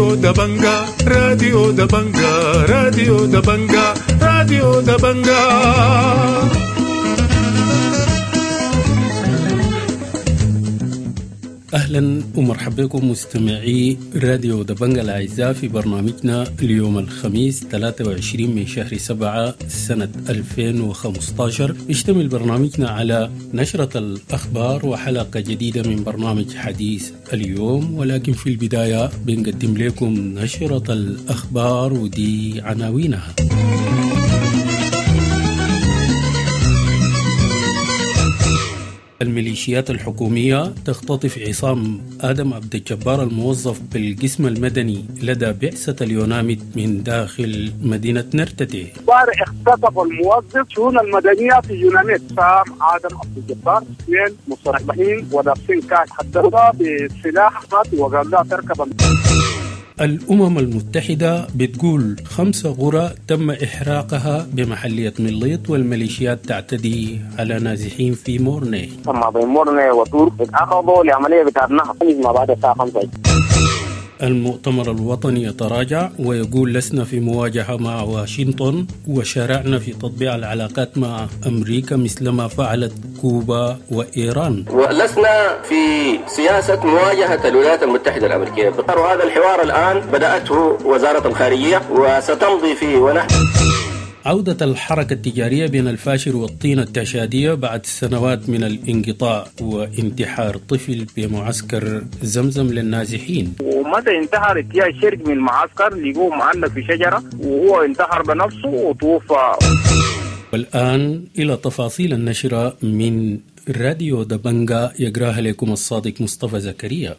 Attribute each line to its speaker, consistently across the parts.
Speaker 1: راديو دبنجا، راديو دبنجا، راديو دبنجا، راديو دبنجا.
Speaker 2: أهلا ومرحبا بكم مستمعي راديو دبنجا الأعزاء في برنامجنا اليوم الخميس 23 من شهر 7 سنة 2015. يشتمل برنامجنا على نشرة الأخبار وحلقة جديدة من برنامج حديث اليوم، ولكن في البداية بنقدم لكم نشرة الأخبار ودي عناوينها. الميليشيات الحكومية تختطف عصام آدم عبد الجبار الموظف بالقسم المدني لدى بعثة اليوناميد من داخل مدينة نرتتي.
Speaker 3: امبارح اختطف الموظف شؤون المدنية في يوناميد عصام آدم عبد الجبار، اثنين مسلحين ولابسين كاش، حددها بسلاح وقال لها تركب.
Speaker 2: الأمم المتحدة بتقول 5 قرى تم إحراقها بمحلية مليط والميليشيات تعتدي على نازحين في مورني.
Speaker 4: ثم بين مورني وتور اتأخذوا لعملية بتاع النهر ما بعد الساعة 5.
Speaker 2: المؤتمر الوطني يتراجع ويقول لسنا في مواجهة مع واشنطن وشرعنا في تطبيع العلاقات مع أمريكا مثلما فعلت كوبا وإيران.
Speaker 5: ولسنا في سياسة مواجهة الولايات المتحدة الأمريكية، وهذا الحوار الآن بدأته وزارة الخارجية وستمضي فيه. ونحن
Speaker 2: عودة الحركة التجارية بين الفاشر والطينة التشادية بعد سنوات من الانقطاع وانتحار طفل بمعسكر زمزم للنازحين.
Speaker 4: ومتى انتحر اتجاه شرق من المعسكر لقوه معلق في شجرة وهو انتحر بنفسه وتوفى.
Speaker 2: والآن إلى تفاصيل النشرة من راديو دبنجا يقراها لكم الصادق مصطفى زكريا.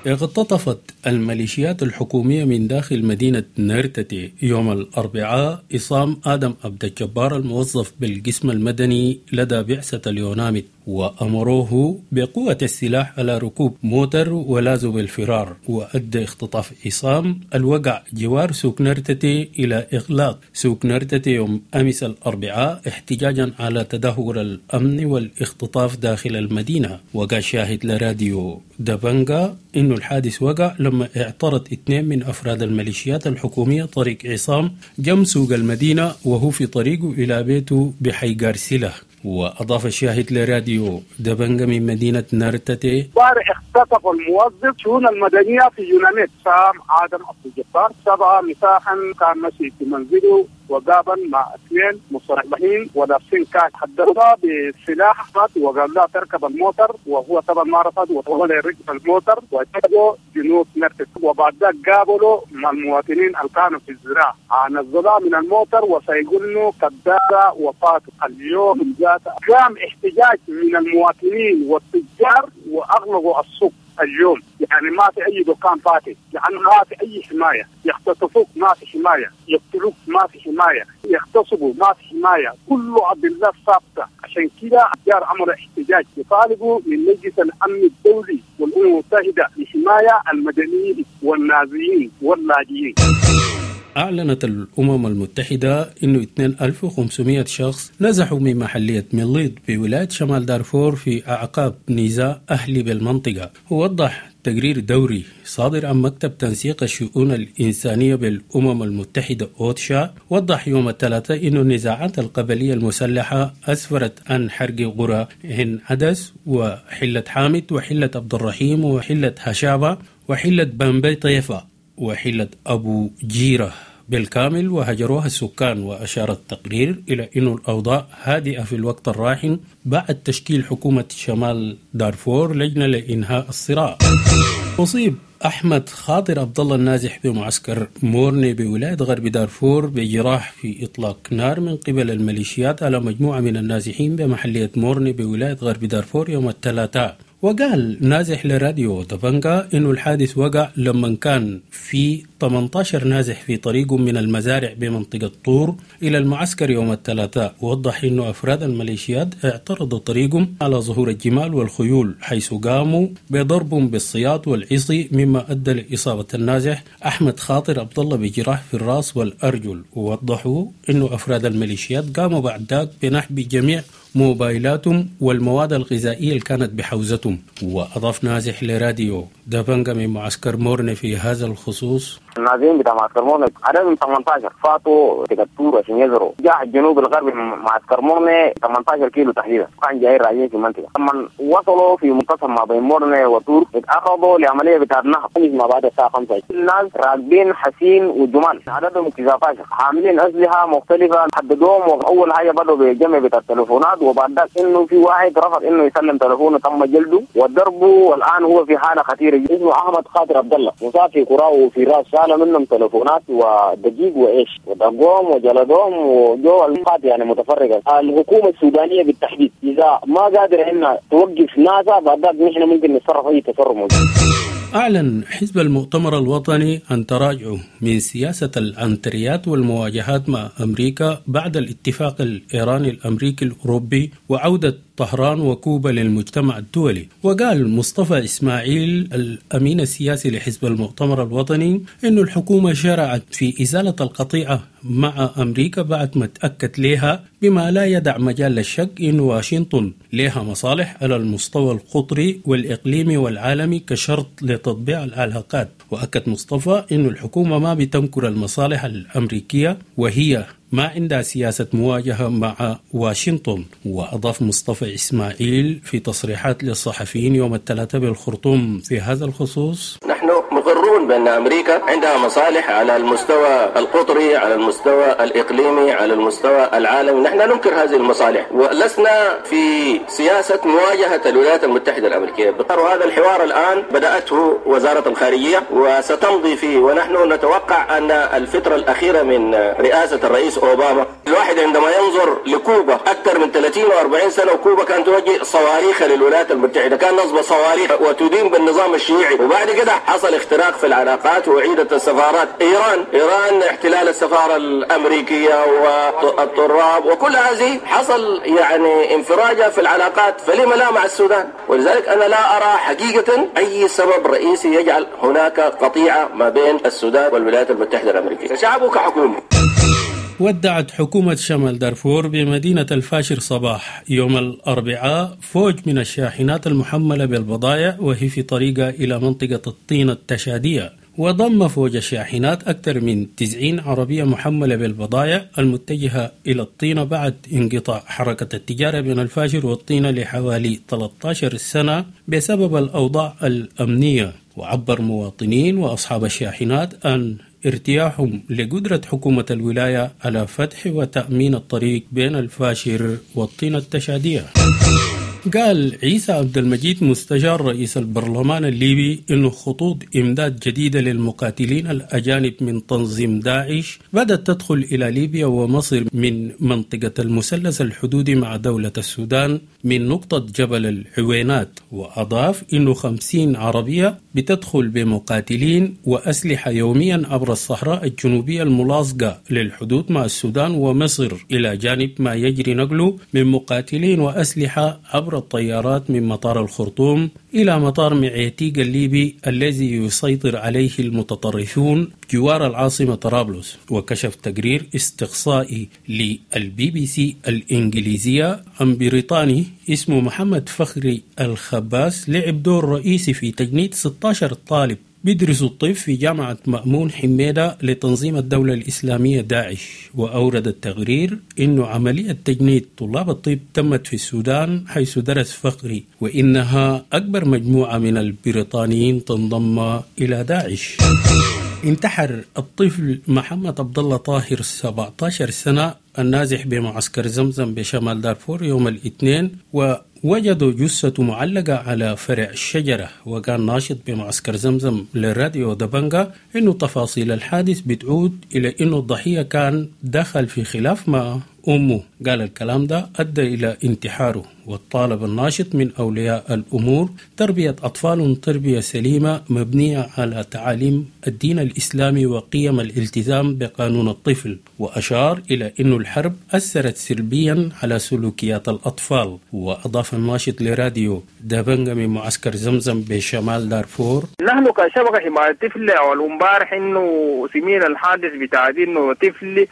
Speaker 2: اغتطفت الميليشيات الحكومية من داخل مدينة نرتتي يوم الأربعاء عصام آدم عبد الجبار الموظف بالقسم المدني لدى بعثة اليوناميد، وأمروه بقوة السلاح على ركوب موتر ولاذوا بالفرار. وأدى اختطاف عصام الوقع جوار سوق نرتتي إلى إغلاق سوق نرتتي يوم أمس الأربعاء احتجاجا على تدهور الأمن والاختطاف داخل المدينة. وقع شاهد لراديو دبنجا إنه الحادث وقع لما اعترض 2 من أفراد الميليشيات الحكومية طريق عصام جم سوق المدينة وهو في طريقه إلى بيته بحي غارسيلا. وأضاف الشاهد لراديو دبنجا من مدينة نرتتي:
Speaker 3: امبارح اختطف الموظف شؤون المدنية في يوناميد عصام آدم عبد الجبار 7 مساحا، كان ماشي في منزله وقابل مع 2 مسلحين ولابسين كاش، حددها بسلاح وقال لها تركب الموتر وهو طبعا ما رفض وهو ركب الموتر واتجهوا جنوب نرتتي. وبعد ذلك قابلوا مع المواطنين اللي كانوا في الزراعة، نزلوها من الموتر وسيقولوا كذابه وفاته. اليوم ذات قام احتجاج من المواطنين والتجار واغلقوا السوق اليوم، يعني ما في اي دكان فاتح، لانه ما في اي حمايه، يختطفوك ما في حمايه، يقتلوك ما في حمايه، يغتصبوا ما في حمايه، كله ادله ثابته. عشان كده التجار عملوا احتجاج يطالبوا من مجلس الامن الدولي والامم المتحده لحمايه المدنيين والنازيين واللاجئين.
Speaker 2: أعلنت الأمم المتحدة أنه 2500 شخص نزحوا من محلية مليط بولاية شمال دارفور في أعقاب نزاع أهلي بالمنطقة. ووضح تقرير دوري صادر عن مكتب تنسيق الشؤون الإنسانية بالأمم المتحدة أوتشا، وضح يوم الثلاثاء أن النزاعات القبلية المسلحة أسفرت عن حرق قرى هن عدس وحلة حامد وحلة عبد الرحيم وحلة هشابة وحلة بامبي طيفة وحلة أبو جيرة بالكامل وهجروها السكان. وأشار التقرير إلى أن الأوضاع هادئة في الوقت الراهن بعد تشكيل حكومة شمال دارفور لجنة لإنهاء الصراع. أصيب أحمد خاطر عبد الله النازح بمعسكر مورني بولاية غرب دارفور بجراح في إطلاق نار من قبل الميليشيات على مجموعة من النازحين بمحلية مورني بولاية غرب دارفور يوم الثلاثاء. وقال نازح لراديو دبنجا إنه الحادث وقع لما كان في 18 نازح في طريقهم من المزارع بمنطقة طور إلى المعسكر يوم الثلاثاء. ووضح إنه أفراد الميليشيات اعترضوا طريقهم على ظهور الجمال والخيول، حيث قاموا بضربهم بالسياط والعصي، مما أدى لإصابة النازح أحمد خاطر عبد الله بجراح في الرأس والأرجل. ووضحوا إنه أفراد الميليشيات قاموا بعد ذاك بنحب جميع موبايلاتهم والمواد الغذائية اللي كانت بحوزتهم. وأضاف نازح لراديو دبنجا من معسكر مورني في هذا الخصوص:
Speaker 4: النازحين بتاع معسكر مورني عددهم 18 فاتوا تكتور عشان يزروا جاء الجنوب الغربي من معسكر مورني 18 كيلو تحديدا، كان جايين راجعين في المنطقة. لما وصلوا في منتصف ما بين مورني وطور اتعرضوا لعملية بتاع نهب ما بعد الساعة 5. الناس راكبين حسين وجمال عددهم 19 حاملين أسلحة مختلفة، حددوهم. وأول حاجة بدأوا بجمع بتاع التليفونات، وبعد ذاك إنه في واحد رفض إنه يسلم تليفونه تم جلده وضربه، والآن هو في حالة خطيرة. اسمه أحمد خاطر عبد الله، مصاب في كرة وفي راس، شالوا منهم تليفونات ودقيق وإيش ودقوهم وجلدوهم وجو القات يعني متفرقة. الحكومة السودانية بالتحديد إذا ما قادرة إنها توقف ناسا بعد ذاك نحن ممكن نتصرف أي تصرف موجود.
Speaker 2: أعلن حزب المؤتمر الوطني عن تراجعه من سياسة العنتريات والمواجهات مع أمريكا بعد الاتفاق الإيراني الأمريكي الأوروبي وعودة طهران وكوبا للمجتمع الدولي. وقال مصطفى إسماعيل الأمين السياسي لحزب المؤتمر الوطني إن الحكومة شرعت في إزالة القطيعة مع أمريكا بعد ما تأكد لها بما لا يدع مجال للشك إن واشنطن لها مصالح على المستوى القطري والإقليمي والعالمي كشرط لتطبيع العلاقات. وأكد مصطفى إن الحكومة ما بتنكر المصالح الأمريكية وهي ما عندها سياسة مواجهة مع واشنطن. وأضاف مصطفى إسماعيل في تصريحات للصحفيين يوم الثلاثاء بالخرطوم في هذا الخصوص:
Speaker 5: نحن مقرون بأن أمريكا عندها مصالح على المستوى القطري، على المستوى الإقليمي، على المستوى العالمي. نحن ننكر هذه المصالح ولسنا في سياسة مواجهة الولايات المتحدة الأمريكية. وهذا الحوار الآن بدأته وزارة الخارجية وستمضي فيه، ونحن نتوقع أن الفترة الأخيرة من رئاسة الرئيس أوباما، الواحد عندما ينظر لكوبا أكثر من 30 و40 سنة وكوبا كانت توجه صواريخ للولايات المتحدة، كان نصب صواريخ وتدين بالنظام الشيوعي، وبعد كده حصل اختراق في العلاقات وعيدت السفارات. إيران احتلال السفارة الأمريكية والطراب وكل هذه حصل يعني انفراجة في العلاقات، فلما لا مع السودان؟ ولذلك أنا لا أرى حقيقة أي سبب رئيسي يجعل هناك قطيعة ما بين السودان والولايات المتحدة الأمريكية كشعب وكحكومة.
Speaker 2: ودعت حكومة شمال دارفور بمدينة الفاشر صباح يوم الأربعاء فوج من الشاحنات المحملة بالبضائع وهي في طريقها إلى منطقة الطينة التشادية. وضم فوج الشاحنات أكثر من 90 عربية محملة بالبضائع المتجهة إلى الطينة بعد انقطاع حركة التجارة بين الفاشر والطينة لحوالي 13 سنة بسبب الأوضاع الأمنية. وعبر مواطنين وأصحاب الشاحنات أن ارتياحهم لقدرة حكومة الولاية على فتح وتأمين الطريق بين الفاشر والطينة التشادية. قال عيسى عبد المجيد مستشار رئيس البرلمان الليبي إنه خطوط إمداد جديدة للمقاتلين الأجانب من تنظيم داعش بدأت تدخل إلى ليبيا ومصر من منطقة المثلث الحدودي مع دولة السودان من نقطة جبل العوينات. وأضاف إنه 50 عربية بتدخل بمقاتلين وأسلحة يوميا عبر الصحراء الجنوبية الملاصقة للحدود مع السودان ومصر، إلى جانب ما يجري نقله من مقاتلين وأسلحة عبر الطيارات من مطار الخرطوم إلى مطار معيتيق الليبي الذي يسيطر عليه المتطرفون جوار العاصمة طرابلس. وكشف تقرير استقصائي للبي بي سي الإنجليزية عن بريطاني اسمه محمد فخري الخباس لعب دور رئيسي في تجنيد 16 طالب بيدرسوا الطب في جامعة مأمون حميدة لتنظيم الدولة الإسلامية داعش. وأورد التقرير إنه عملية تجنيد طلاب الطب تمت في السودان حيث درس فخري، وإنها أكبر مجموعة من البريطانيين تنضم إلى داعش. انتحر الطفل محمد عبد الله طاهر 17 سنة النازح بمعسكر زمزم بشمال دارفور يوم الاثنين، ووجدوا جثته معلقة على فرع الشجرة. وكان ناشط بمعسكر زمزم للراديو دبنجا إنه تفاصيل الحادث بتعود إلى إنه الضحية كان دخل في خلاف مع أمه. قال الكلام ده أدى إلى انتحاره. وطالب الناشط من أولياء الأمور تربية أطفالهم تربية سليمة مبنية على تعاليم الدين الإسلامي وقيم الالتزام بقانون الطفل. وأشار إلى أن الحرب أثرت سلبيا على سلوكيات الأطفال. وأضاف الناشط لراديو دبنجا من معسكر زمزم بشمال دارفور:
Speaker 6: نحن كشبكة حماية الطفل أول امبارح إنه سمينا الحادث بتاع إنه طفل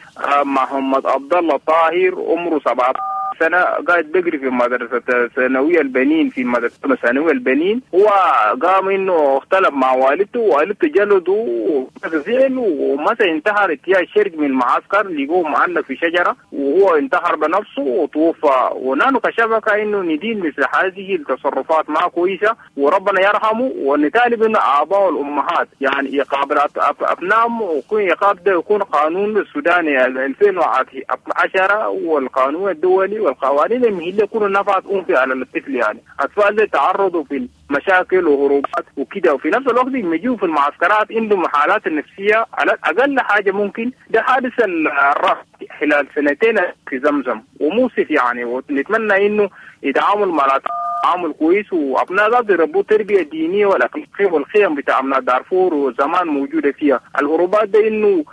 Speaker 6: محمد عبد الله طاهر عمره 17 سنة قاعد بيقري في مدرسة ثانوية البنين، في مدرسة ثانوية البنين. هو قام إنه اختلف مع والدته، والدته جلده زعل ومثلا انتحر اتجاه الشرق من المعسكر، لقوه معلق في شجرة وهو انتحر بنفسه وتوفى. ونحن كشبكة إنه ندين مثل هذه التصرفات ما كويسة، وربنا يرحمه. ونطالب إنه آباء والأمهات يعني يقابل أبنائهم، ويكون يقاب ده يكون قانون السوداني 2010 والقانون الدولي والقوانين المهلة يكونوا نفعت أنفي على الطفل. يعني أطفال اللي تعرضوا في مشاكل وهروبات وكده، وفي نفس الوقت يجوا في المعسكرات عندهم حالات النفسية على أقل حاجة ممكن. ده حادث الرفض خلال سنتين في زمزم وموسف يعني، ونتمنى إنه يتعامل مع تعامل كويس، وأبناء ذات يربوا تربية دينية والأخلاقية والقيم بتاع أبناء دارفور وزمان موجودة فيها. الهروبات ده إنه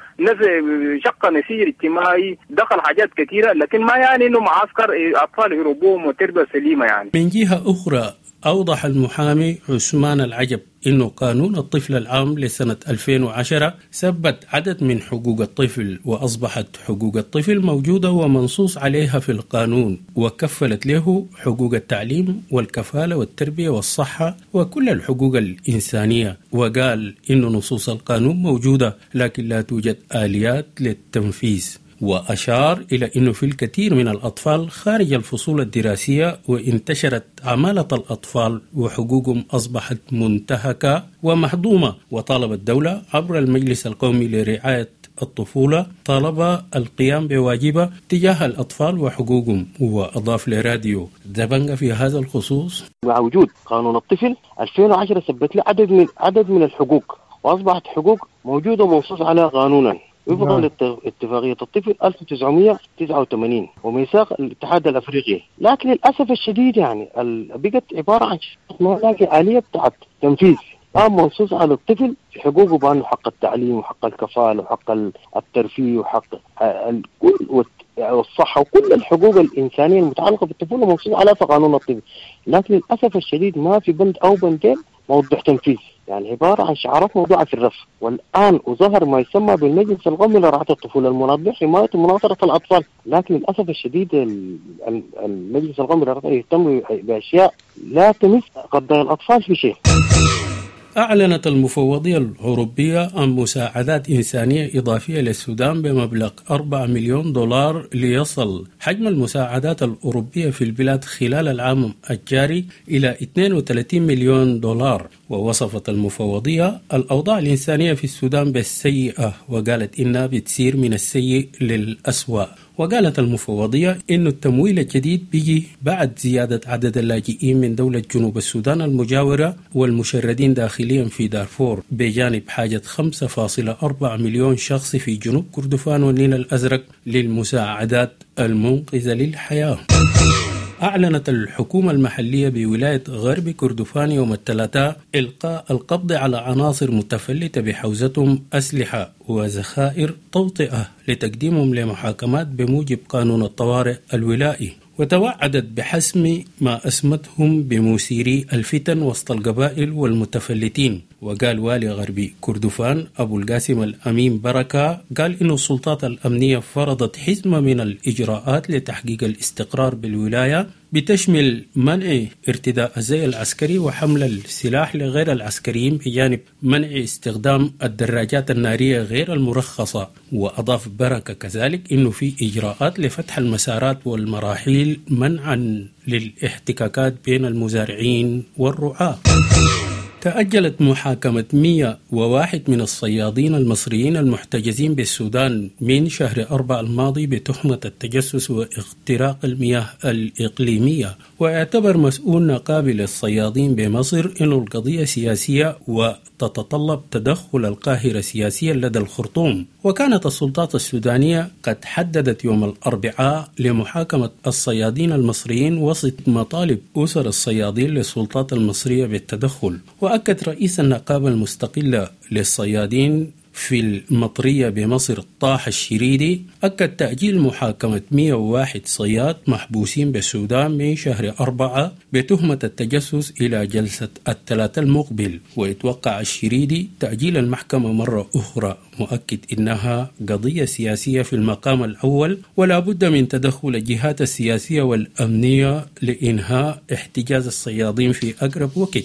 Speaker 6: شق نسيج اجتماعي، دخل حاجات كثيرة، لكن ما يعني إنه معسكر أطفال يربوهم وتربية سليمة يعني.
Speaker 2: من جهة أخرى أوضح المحامي عثمان العجب إنه قانون الطفل العام لسنة 2010 ثبت عدد من حقوق الطفل، وأصبحت حقوق الطفل موجودة ومنصوص عليها في القانون، وكفلت له حقوق التعليم والكفالة والتربية والصحة وكل الحقوق الإنسانية. وقال إن نصوص القانون موجودة لكن لا توجد آليات للتنفيذ. وأشار إلى أنه في الكثير من الأطفال خارج الفصول الدراسية وانتشرت عمالة الأطفال وحقوقهم أصبحت منتهكة ومهضومة. وطالب الدولة عبر المجلس القومي لرعاية الطفولة طالب القيام بواجبة تجاه الأطفال وحقوقهم. وأضاف لراديو دبنجا في هذا الخصوص:
Speaker 7: مع وجود قانون الطفل 2010 ثبت له عدد من الحقوق، وأصبحت حقوق موجودة ومنصوص عليها قانونا وفقا لاتفاقية الطفل 1989 وميثاق الاتحاد الافريقي. لكن للاسف الشديد يعني بقت عباره عن ما لاقي آلية بتاعت تنفيذ. قام منصوص على الطفل في حقوقه بانه حق التعليم وحق الكفاله وحق الترفيه وحق الكل والصحه وكل الحقوق الانسانيه المتعلقه بالطفوله منصوص عليها في قانون الطفل. لكن للاسف الشديد ما في بند او بندين موضوع تنفيذ، يعني عبارة عن شعارات موضوعة في الرف. والآن وظهر ما يسمى بالمجلس القومي لرعاية الطفولة المنظم حماية ومناصرة الأطفال، لكن للأسف الشديد المجلس القومي لرعاية يهتم بأشياء لا تمس قضايا الأطفال في شيء.
Speaker 2: أعلنت المفوضية الأوروبية عن مساعدات إنسانية إضافية للسودان بمبلغ 4 مليون دولار ليصل حجم المساعدات الأوروبية في البلاد خلال العام الجاري إلى 32 مليون دولار. ووصفت المفوضية الأوضاع الإنسانية في السودان بالسيئة، وقالت إنها بتسير من السيء للأسوأ. وقالت المفوضية إن التمويل الجديد بيجي بعد زيادة عدد اللاجئين من دولة جنوب السودان المجاورة والمشردين داخليا في دارفور، بجانب حاجة 5.4 مليون شخص في جنوب كردفان والنيل الأزرق للمساعدات المنقذة للحياة. أعلنت الحكومة المحلية بولاية غرب كردفان يوم الثلاثاء إلقاء القبض على عناصر متفلتة بحوزتهم أسلحة وذخائر توطئة لتقديمهم لمحاكمات بموجب قانون الطوارئ الولائي. وتوعدت بحسم ما أسمتهم بمثيري الفتن وسط القبائل والمتفلتين. وقال والي غربي كردفان أبو القاسم الأمين بركة قال إن السلطات الأمنية فرضت حزمة من الإجراءات لتحقيق الاستقرار بالولاية بتشمل منع ارتداء الزي العسكري وحمل السلاح لغير العسكريين، بجانب منع استخدام الدراجات النارية غير المرخصة. وأضاف بركة كذلك إنه في إجراءات لفتح المسارات والمراحيل منعا للاحتكاكات بين المزارعين والرعاة. تأجلت محاكمة 101 من الصيادين المصريين المحتجزين بالسودان من شهر 4 الماضي بتهمة التجسس واختراق المياه الإقليمية. واعتبر مسؤول نقابي للصيادين بمصر أن القضية سياسية وتتطلب تدخل القاهرة سياسيا لدى الخرطوم. وكانت السلطات السودانية قد حددت يوم الأربعاء لمحاكمة الصيادين المصريين وسط مطالب أسر الصيادين للسلطات المصرية بالتدخل. وأكد رئيس النقابة المستقلة للصيادين في المطرية بمصر طه الشريدي أكد تأجيل محاكمة 101 صياد محبوسين بالسودان من شهر 4 بتهمة التجسس إلى جلسة الثلاثاء المقبل. ويتوقع الشريدي تأجيل المحكمة مرة أخرى، مؤكد إنها قضية سياسية في المقام الأول ولا بد من تدخل الجهات السياسية والأمنية لإنهاء احتجاز الصيادين في أقرب وقت.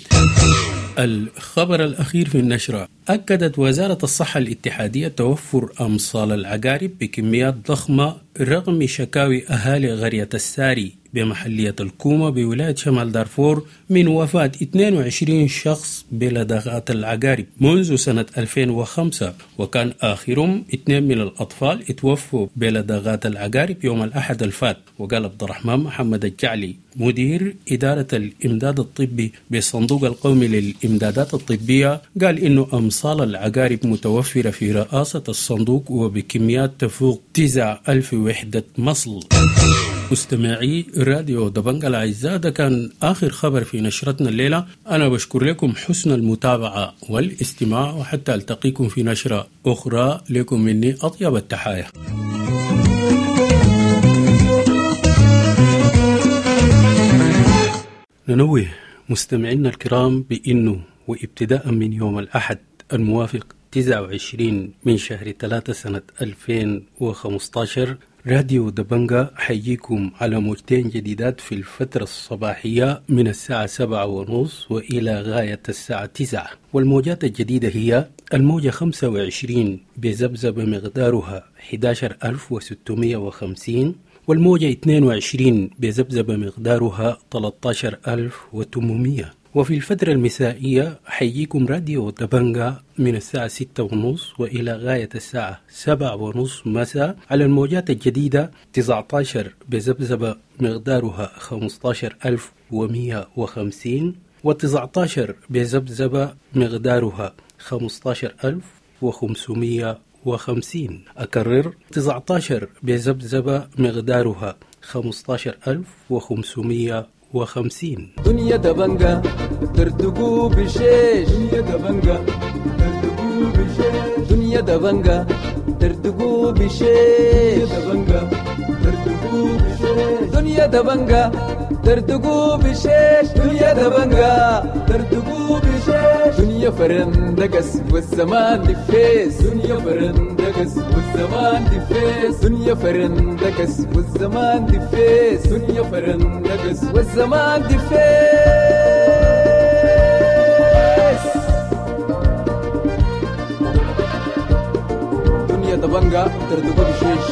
Speaker 2: الخبر الأخير في النشرة: أكدت وزارة الصحة الاتحادية توفر أمصال العقارب بكميات ضخمة رغم شكاوي أهالي قرية الساري بمحلية الكومة بولاية شمال دارفور من وفاة 22 شخص بلدغات العقارب منذ سنة 2005، وكان آخرهم 2 من الأطفال اتوفوا بلدغات العقارب يوم الأحد الفات. وقال عبد الرحمن محمد الجعلي مدير إدارة الإمداد الطبي بالصندوق القومي للإمدادات الطبية قال إنه أمصال العقارب متوفرة في رئاسة الصندوق وبكميات تفوق 9000 وحدة مصل. مستمعي راديو دبنجا الأعزاء، ده كان آخر خبر في نشرتنا الليلة. أنا بشكر لكم حسن المتابعة والاستماع، وحتى ألتقيكم في نشرة أخرى. لكم مني أطيب التحايا. ننوه مستمعينا الكرام بأنه وابتداء من يوم الأحد الموافق 29 من شهر 3 سنة 2015 راديو دبنجا حييكم على موجتين جديدات في الفترة الصباحية من الساعة 7:30 وإلى غاية الساعة 9. والموجات الجديدة هي الموجة 25 بذبذبة مقدارها 11650، والموجة 22 بذبذبة مقدارها 13800. وفي الفترة المسائية حييكم راديو دبنجا من الساعة 6:30 وإلى غاية الساعة 7:30 مساء على الموجات الجديدة 19 بذبذبة مقدارها 15150، و19 بذبذبة مقدارها 15550. أكرر، 19 بذبذبة مقدارها 15550.
Speaker 8: دنيا دبنجا ترتقو بشيش، دنيا دبنجا ترتقو بشيش، دنيا دبنجا ترتقو بشيش، دبنجا ترتقو بشيش، دنيا دبنجا ترتقو بشيش، دنيا دبنجا ترتقو بشيش، دنيا فرندقس والزمان دفيس، دنيا فرندقس والزمان دفيس، دنيا فرندقس والزمان دفيس، دنيا فرندقس والزمان دفيس. دنيا دبنجا ترتقو بشيش،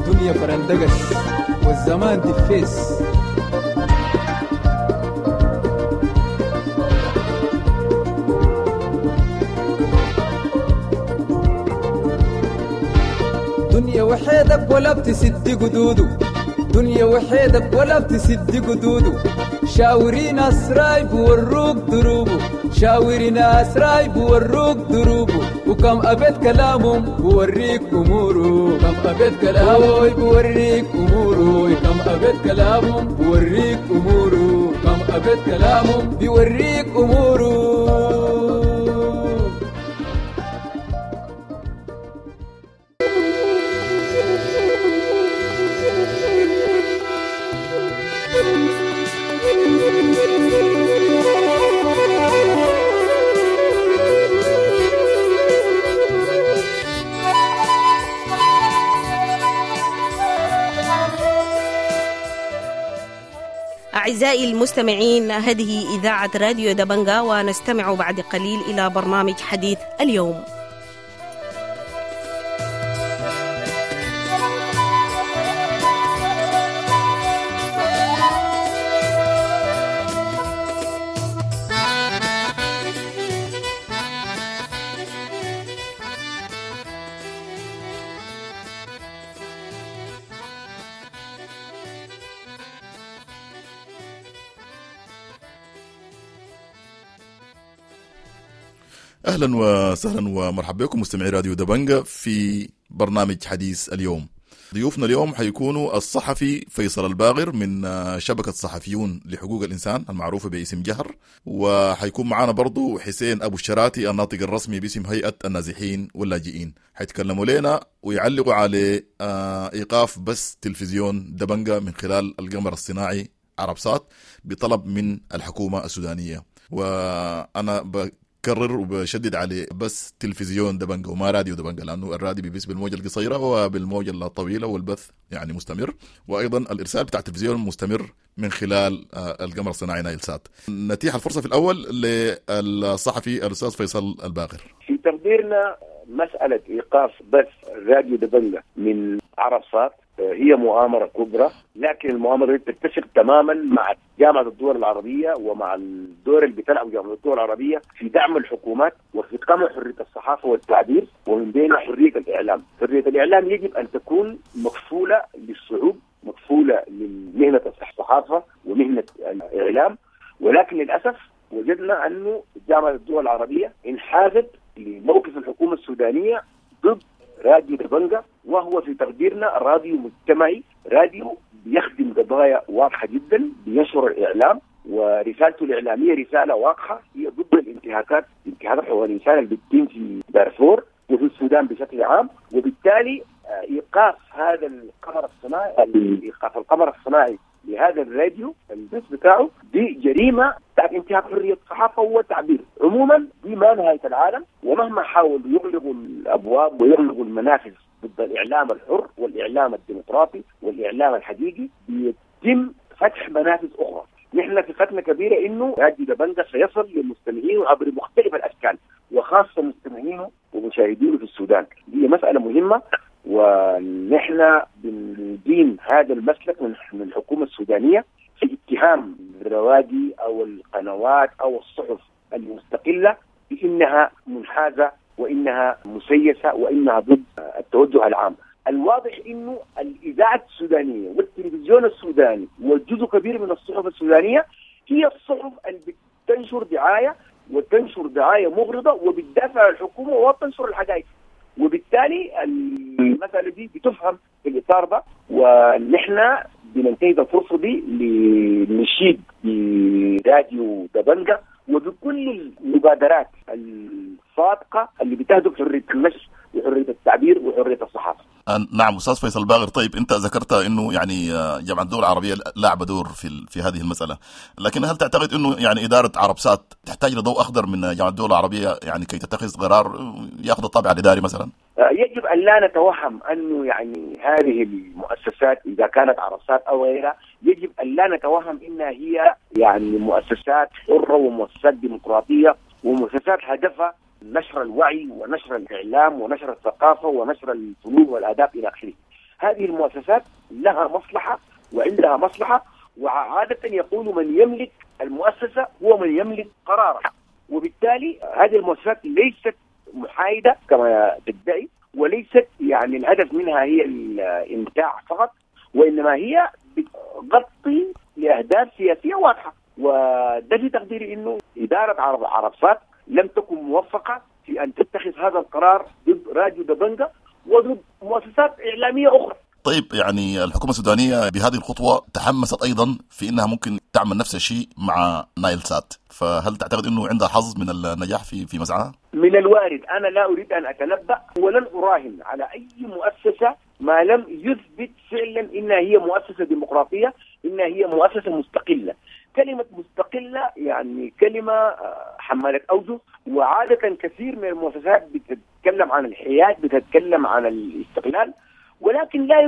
Speaker 8: دنيا فرندقس والزمان دفيس. دنيا وحيدك ولا بتسد قدوده، دنيا وحيدك ولا بتسد قدوده، شاوري ناس رايب وروك دروبه، شاوري ناس رايب وروك دروبه، وكم أبيت كلامهم بوريك أموره، كم أبيت كلامه بوريك أموره، كم أبيت كلامهم بوريك أموره، كم أبيت كلامهم بيوريك أموره.
Speaker 9: أعزائي المستمعين، هذه إذاعة راديو دبنجا، ونستمع بعد قليل إلى برنامج حديث اليوم.
Speaker 10: أهلا وسهلا ومرحبا بكم مستمعي راديو دبنجة في برنامج حديث اليوم. ضيوفنا اليوم حيكونوا الصحفي فيصل الباغر من شبكة صحفيون لحقوق الإنسان المعروفة باسم جهر، وحيكون معنا برضو حسين أبو الشراتي الناطق الرسمي باسم هيئة النازحين واللاجئين. حيتكلموا لنا ويعلقوا على إيقاف بث تلفزيون دبنجة من خلال القمر الصناعي عربسات بطلب من الحكومة السودانية. وأنا بكرر وبشدد عليه بس تلفزيون دبنجة وما راديو دبنجة، لأنه الراديو بيبث بالموجة القصيرة وبالموجة الطويلة والبث يعني مستمر، وأيضا الإرسال بتاع التلفزيون مستمر من خلال القمر الصناعي نايل سات. نتيح الفرصة في الأول للصحفي الأستاذ فيصل الباغر.
Speaker 11: في تقديرنا مسألة إيقاف بث راديو دبنجة من عربسات هي مؤامرة كبرى، لكن المؤامرة دي تتفق تماما مع جامعة الدول العربية ومع الدور اللي بتلعبه جامعة الدول العربية في دعم الحكومات وفي قمع حرية الصحافة والتعبير، ومن بينها حرية الإعلام. حرية الإعلام يجب أن تكون مكفولة للشعوب، مكفولة لمهنة الصحافة ومهنة الإعلام، ولكن للأسف وجدنا أنه جامعة الدول العربية انحازت لموقف الحكومة السودانية ضد راديو دبنجة، وهو في تقديرنا راديو مجتمعي، راديو بيخدم قضايا واضحة جدا، بينشر الإعلام، ورسالته الإعلامية رسالة واضحة هي ضد الانتهاكات، انتهاكات حقوق الإنسان اللي بتتم في دارفور وفي السودان بشكل عام. وبالتالي إيقاف هذا القمر الصناعي، إيقاف القمر الصناعي لهذا الراديو البث بتاعه، دي جريمة بتاعت انتهاك حرية الصحافة والتعبير عموما. دي ما نهاية العالم، ومهما حاولوا يغلقوا الأبواب ويغلقوا المنافذ ضد الإعلام الحر والإعلام الديمقراطي والإعلام الحقيقي، بيتم فتح منافذ أخرى. نحن ثقتنا كبيرة إنه راديو دبنجة سيصل لمستمعينه عبر مختلف الأشكال، وخاصة مستمعينه ومشاهدينه في السودان. دي مسألة مهمة، ونحن بندين هذا المسلك من الحكومة السودانية في اتهام الروادي أو القنوات أو الصحف المستقلة بأنها منحازة وإنها مسيسة وإنها ضد التوجه العام. الواضح إنه الإذاعة السودانية والتلفزيون السوداني وجزء كبير من الصحف السودانية هي الصحف اللي بتنشر دعاية، وتنشر دعاية مغرضة، وبتدافع عن الحكومة وتنشر الحقائق، وبالتالي المسألة دي بتفهم في الإطار ده. ونحن بننتهز الفرصة دي لنشيد براديو دبنجة وبكل المبادرات الصادقة اللي بتهدف حرية النشر وحرية التعبير وحرية الصحافة.
Speaker 10: نعم أستاذ فيصل باغر، طيب أنت ذكرت أنه يعني جامعة الدول العربية لعب دور في هذه المسألة، لكن هل تعتقد أنه يعني إدارة عربسات تحتاج لضوء أخضر من جامعة الدول العربية يعني كي تتخذ قرار يأخذ الطابع الإداري مثلا؟
Speaker 11: يجب أن لا نتوهم أنه يعني هذه المؤسسات إذا كانت عربسات أو غيرها، يجب أن لا نتوهم أنها هي يعني مؤسسات حرة ومؤسسات ديمقراطية ومؤسسات هدفها نشر الوعي ونشر الإعلام ونشر الثقافة ونشر الفنون والآداب إلى آخره. هذه المؤسسات لها مصلحة وعندها مصلحة، وعادة يقول من يملك المؤسسة هو من يملك قرارها، وبالتالي هذه المؤسسات ليست محايدة كما تدعي، وليست يعني الهدف منها هي الإمتاع فقط، وإنما هي بتغطي لأهداف سياسية واضحة. وده في تقديري إنه إدارة عربسات لم تكن موفقة في أن تتخذ هذا القرار ضد راديو دبنجة وضد مؤسسات إعلامية أخرى.
Speaker 10: طيب يعني الحكومة السودانية بهذه الخطوة تحمست أيضا في أنها ممكن تعمل نفس الشيء مع نايل سات، فهل تعتقد أنه عندها حظ من النجاح في مسعاها؟
Speaker 11: من الوارد، أنا لا أريد أن أتنبأ ولن أراهن على أي مؤسسة ما لم يثبت فعلا إنها هي مؤسسة ديمقراطية، إنها هي مؤسسة مستقلة. كلمة مستقلة يعني كلمة حمالة أوجه، وعادة كثير من المؤسسات بتتكلم عن الحياد، بتتكلم عن الاستقلال، ولكن لا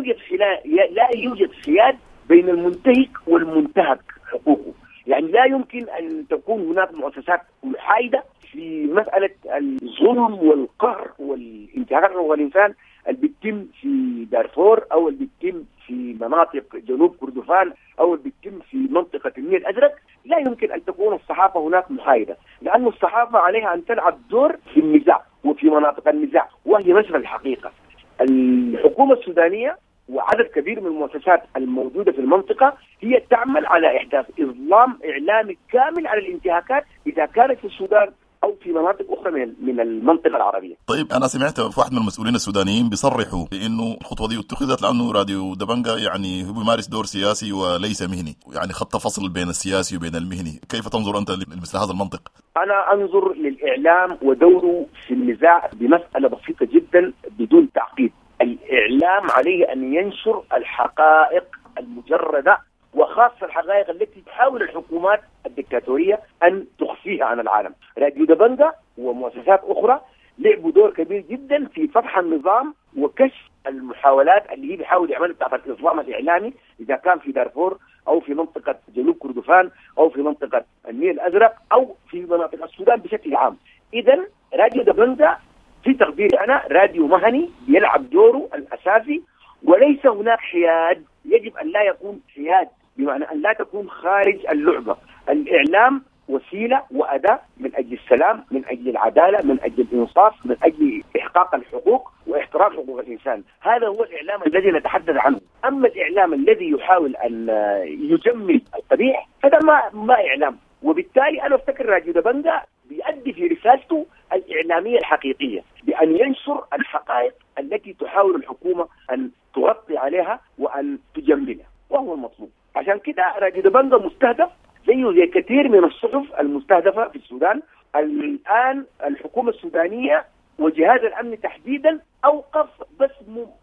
Speaker 11: يوجد حياد بين المنتهك والمنتهك حقوقه. يعني لا يمكن أن تكون هناك مؤسسات محايدة في مسألة الظلم والقهر والانتهاكات حقوق الإنسان اللي بتتم في دارفور أو اللي بتتم في مناطق جنوب كردفان أو اللي بتتم في منطقة النيل الأزرق. لا يمكن أن تكون الصحافة هناك محايدة، لأن الصحافة عليها أن تلعب دور في النزاع وفي مناطق النزاع، وهي نشر الحقيقة. الحكومة السودانية وعدد كبير من المؤسسات الموجودة في المنطقة هي تعمل على إحداث إظلام إعلامي كامل على الانتهاكات إذا كانت في السودان او في مناطق اخرى من المنطقة العربية.
Speaker 10: طيب انا سمعت في واحد من المسؤولين السودانيين بيصرحوا بانه الخطوة دي اتخذت لانه راديو دبنجا يعني هو بيمارس دور سياسي وليس مهني، يعني خط فصل بين السياسي وبين المهني، كيف تنظر انت لمثل هذا المنطق؟
Speaker 11: انا انظر للاعلام ودوره في النزاع بمسالة بسيطة جدا بدون تعقيد. الاعلام عليه ان ينشر الحقائق المجردة، وخاصة الحقائق التي تحاول الحكومات الدكتاتورية أن تخفيها عن العالم. راديو دبنجا ومؤسسات أخرى لعبوا دور كبير جدا في فتح النظام وكشف المحاولات اللي هي بيحاول يعملها بتاعت الإظلام الإعلامي، إذا كان في دارفور أو في منطقة جنوب كردفان أو في منطقة النيل الأزرق أو في مناطق السودان بشكل عام. إذا راديو دبنجا في تقديري أنا راديو مهني بيلعب دوره الأساسي، وليس هناك حياد. يجب أن لا يكون حياد، بمعنى أن لا تكون خارج اللعبة. الإعلام وسيلة وأداة من أجل السلام، من أجل العدالة، من أجل الإنصاف، من أجل إحقاق الحقوق واحترام حقوق الإنسان. هذا هو الإعلام الذي نتحدث عنه. أما الإعلام الذي يحاول أن يجمل القبيح هذا ما إعلام. وبالتالي أنا أفتكر راديو دبنجا بيؤدي في رسالته الإعلامية الحقيقية بأن ينشر الحقائق التي تحاول الحكومة أن تغطي عليها وأن تجملها، وهو المطلوب. عشان كده راديو دبنجا مستهدف زيه زي كثير من الصحف المستهدفة في السودان. الآن الحكومة السودانية وجهاز الأمن تحديدا أوقف بس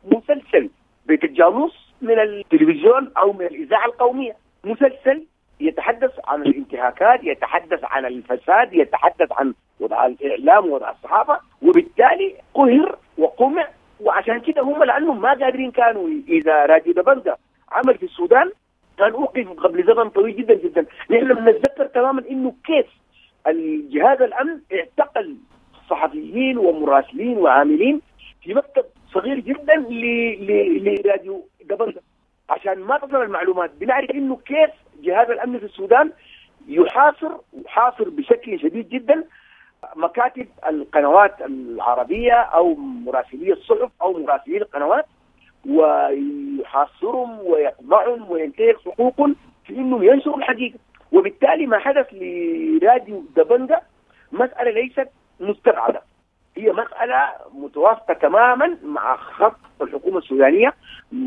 Speaker 11: مسلسل بيت الجاموس من التلفزيون أو من الإذاعة القومية، مسلسل يتحدث عن الانتهاكات، يتحدث عن الفساد، يتحدث عن وضع الإعلام ووضع الصحافة، وبالتالي قهر وقمع. وعشان كده هم لأنهم ما قادرين، كانوا إذا راديو دبنجا عمل في السودان كان أوقف قبل زمن طويل جدا جدا. نحن بنتذكر تماما إنه كيف الجهاز الأمن اعتقل صحفيين ومراسلين وعاملين في مكتب صغير جدا لراديو دبنجا عشان ما تصل المعلومات. بنعرف إنه كيف جهاز الأمن في السودان يحاصر بشكل شديد جدا مكاتب القنوات العربية أو مراسلي الصحف أو مراسلي القنوات، ويحاصرهم ويقمعهم وينتهك حقوقهم في إنهم ينشروا الحقيقة. وبالتالي ما حدث لراديو دبنجا مسألة ليست مستبعدة، هي مسألة متوافقة تماما مع خط الحكومة السودانية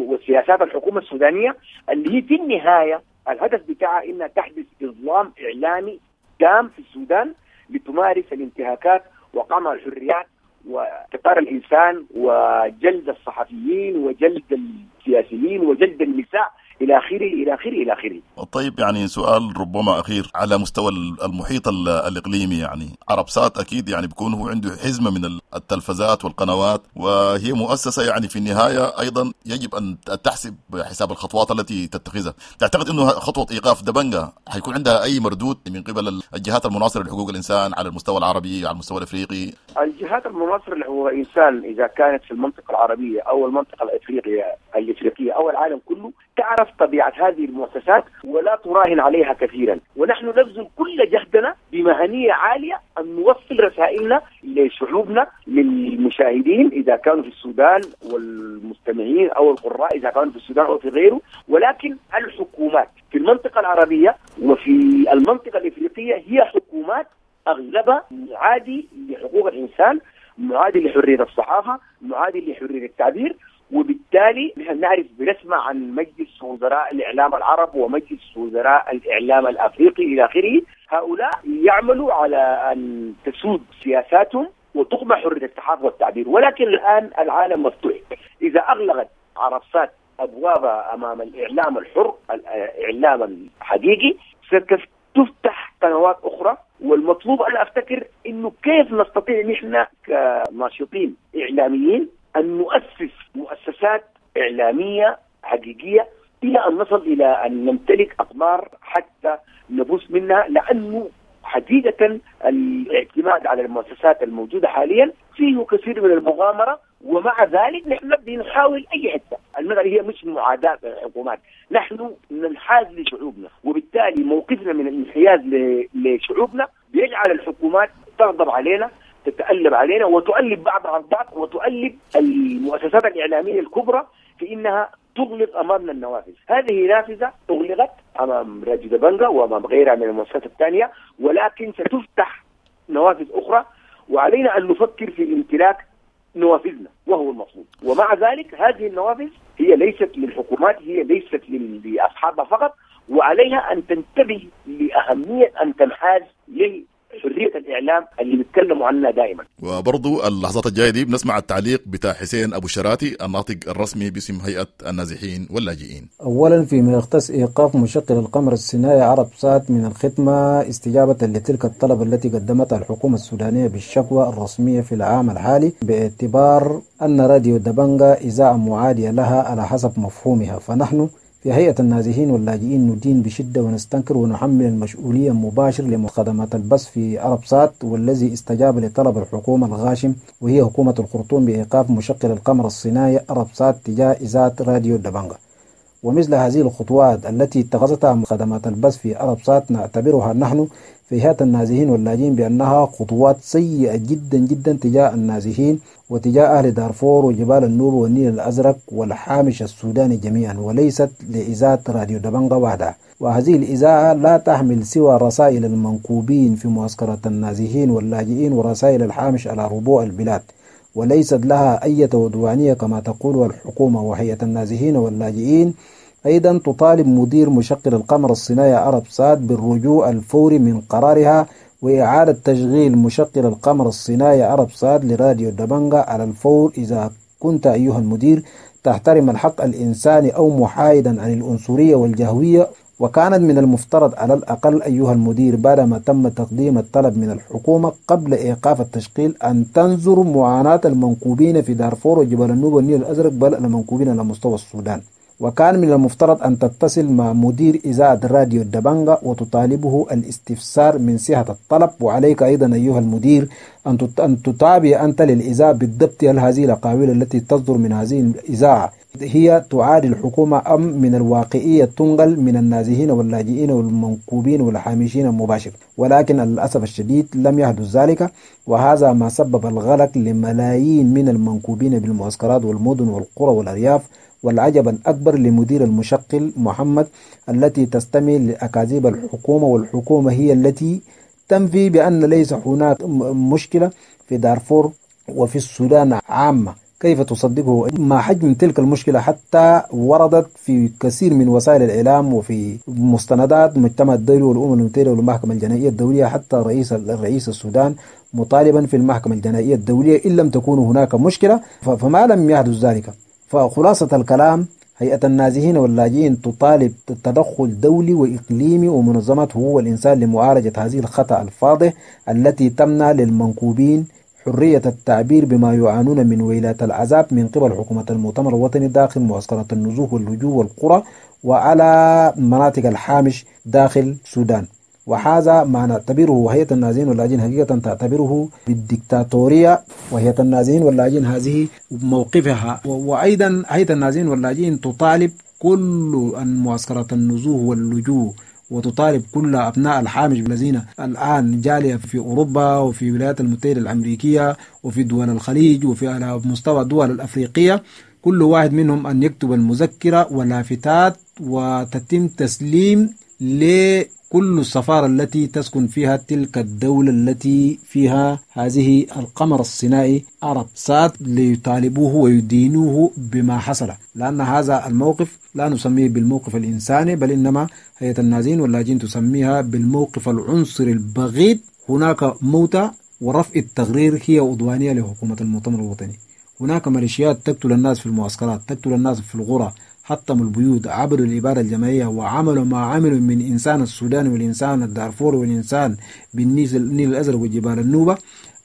Speaker 11: وسياسات الحكومة السودانية اللي هي في النهاية الهدف بتاعها إنها تحدث إظلام إعلامي تام في السودان لتمارس الانتهاكات وقمع الحريات واعتقال الإنسان وجلد الصحفيين وجلد السياسيين وجلد النساء إلى آخره إلى آخره إلى آخره.
Speaker 10: طيب يعني سؤال ربما أخير على مستوى المحيط الإقليمي، يعني عربسات أكيد يعني بيكون هو عنده حزمة من التلفزات والقنوات، وهي مؤسسة يعني في النهاية أيضا يجب أن تحسب حساب الخطوات التي تتخذها. تعتقد أنه خطوة إيقاف دبنجا حيكون عندها أي مردود من قبل الجهات المناصرة لحقوق الإنسان على المستوى العربي على المستوى الأفريقي؟
Speaker 11: الجهات المناصرة لحقوق الإنسان إذا كانت في المنطقة العربية أو المنطقة الإفريقية أو العالم كله تعرف طبيعة هذه المؤسسات ولا تراهن عليها كثيرا، ونحن نبذل كل جهدنا بمهنية عالية أن نوصل رسائلنا لشعوبنا، للمشاهدين إذا كانوا في السودان والمستمعين أو القراء إذا كانوا في السودان أو في غيره. ولكن الحكومات في المنطقة العربية وفي المنطقة الإفريقية هي حكومات أغلبها معادي لحقوق الإنسان، معادي لحرية الصحافة، معادي لحرية التعبير. وبالتالي نحن نعرف بنسمع عن مجلس وزراء الإعلام العرب ومجلس وزراء الإعلام الأفريقي إلى آخره. هؤلاء يعملوا على أن تسود سياساتهم وتقمع حرية الصحافة والتعبير. ولكن الآن العالم مفتوح. إذا أغلقت عرصات أبوابها أمام الإعلام الحر، الإعلام الحقيقي، ستفتح قنوات أخرى. والمطلوب أنا أفتكر إنه كيف نستطيع نحن كناشطين إعلاميين أن نؤسس مؤسسات إعلامية حقيقية إلى أن نصل إلى أن نمتلك أقمار حتى نبوس منها، لأنه حقيقة الاعتماد على المؤسسات الموجودة حاليا فيه كثير من المغامرة. ومع ذلك نحن بنحاول أي حتة. المسألة هي مش معاداة الحكومات، نحن ننحاز لشعوبنا، وبالتالي موقفنا من الانحياز لشعوبنا بيجعل الحكومات تغضب علينا، تتألب علينا، وتؤلب بعضها البعض، وتؤلب المؤسسات الإعلامية الكبرى في إنها تغلق أمامنا النوافذ. هذه نافذة أغلقت أمام راديو دبنجا وأمام غيرها من المؤسسات الثانية، ولكن ستفتح نوافذ أخرى، وعلينا أن نفكر في امتلاك نوافذنا وهو المطلوب. ومع ذلك هذه النوافذ هي ليست للحكومات، هي ليست لأصحابها فقط، وعليها أن تنتبه لأهمية أن تنحاز لحرية الإعلام اللي بيتكلموا عنها دائما.
Speaker 10: وبرضو اللحظات الجاية دي بنسمع التعليق بتاع حسين أبو شراتي الناطق الرسمي باسم هيئة النازحين واللاجئين.
Speaker 12: أولا فيما يختص إيقاف مشغل القمر الصناعي عرب سات من الخدمة استجابة لتلك الطلب التي قدمتها الحكومة السودانية بالشكوى الرسمية في العام الحالي، باعتبار أن راديو دبنجا إذاعة معادية لها على حسب مفهومها، فنحن في هيئة النازحين واللاجئين ندين بشدة ونستنكر ونحمل المسؤولية مباشر لخدمات البث في عرب سات، والذي استجاب لطلب الحكومة الغاشم وهي حكومة الخرطوم بإيقاف مشغل القمر الصناعي عرب سات تجاه إذاعة راديو دبنجا. ومثل هذه الخطوات التي اتخذتها خدمات البث في عرب سات نعتبرها نحن في هيئة النازحين واللاجئين بأنها خطوات سيئة جدا جدا تجاه النازحين وتجاه أهل دارفور وجبال النوبة والنيل الأزرق والحامش السوداني جميعا، وليست لإذاعة راديو دبنجا وحدها. وهذه الإذاعة لا تحمل سوى رسائل المنكوبين في معسكرات النازحين واللاجئين ورسائل الحامش على ربوع البلاد، وليست لها أي عدوانية كما تقول الحكومة. وهيئة النازحين واللاجئين أيضا تطالب مدير مشغل القمر الصناعي عرب سات بالرجوع الفوري من قرارها وإعادة تشغيل مشغل القمر الصناعي عرب سات لراديو دبنجا على الفور، إذا كنت أيها المدير تحترم الحق الإنساني أو محايدا عن العنصرية والجهوية. وكانت من المفترض على الأقل أيها المدير بعدما تم تقديم الطلب من الحكومة قبل إيقاف التشغيل أن تنظر معاناة المنكوبين في دارفور وجبال النوبة والنيل الأزرق، بل المنكوبين على مستوى السودان. وكان من المفترض أن تتصل مع مدير إذاعة راديو دبنجا وتطالبه الاستفسار من صحة الطلب. وعليك أيضا أيها المدير أن تتابع أنت للإذاعة بالضبط هل هذه الأقاويل التي تصدر من هذه الإذاعة هي تعادي الحكومة أم من الواقعية تنقل من النازحين واللاجئين والمنكوبين والحامشين المباشر. ولكن للأسف الشديد لم يحدث ذلك، وهذا ما سبب الغلق لملايين من المنكوبين بالمعسكرات والمدن والقرى والأرياف. والعجب الأكبر لمدير المشغل محمد التي تستمع لأكاذيب الحكومة، والحكومة هي التي تنفي بأن ليس هناك مشكلة في دارفور وفي السودان عامة. كيف تصدقه؟ ما حجم تلك المشكلة حتى وردت في كثير من وسائل الإعلام وفي مستندات مجتمع الدولي والأمم المتحدة والمحكمة الجنائية الدولية، حتى رئيس السودان مطالبا في المحكمة الجنائية الدولية إن لم تكون هناك مشكلة، فما لم يحدث ذلك. فخلاصة الكلام، هيئة النازحين واللاجئين تطالب تدخل دولي وإقليمي ومنظمات حقوق الإنسان لمعالجة هذه الخطأ الفاضح التي تمنع للمنكوبين حرية التعبير بما يعانون من ويلات العذاب من قبل حكومة المؤتمر الوطني داخل معسكرات النزوح واللجوء والقرى وعلى مناطق الحامش داخل السودان. وهذا ما نعتبره وهيئة النازحين واللاجئين حقيقة تعتبره بالديكتاتورية. وهيئة النازحين واللاجئين هذه موقفها. وأيضا هيئة النازحين واللاجئين تطالب كل معسكرات النزوح واللجوء وتطالب كل أبناء الحامش الذين الآن جالية في أوروبا وفي الولايات المتحدة الأمريكية وفي دول الخليج وفي على مستوى الدول الأفريقية، كل واحد منهم أن يكتب المذكرة ولافتات وتتم تسليم لكل السفارة التي تسكن فيها تلك الدولة التي فيها هذه القمر الصناعي عرب سات ليطالبوه ويدينوه بما حصل، لأن هذا الموقف لا نسميه بالموقف الإنساني، بل إنما هيئة النازحين واللاجئين تسميها بالموقف العنصري البغيض. هناك موتى ورفع التغرير هي عدوانية لحكومة المؤتمر الوطني. هناك ميليشيات تقتل الناس في المعسكرات، تقتل الناس في القرى، حطموا البيوت، عبروا الإبادة الجماعية وعملوا ما عملوا من إنسان السوداني والإنسان الدارفوري والإنسان بالنيل الأزرق وجبال النوبة.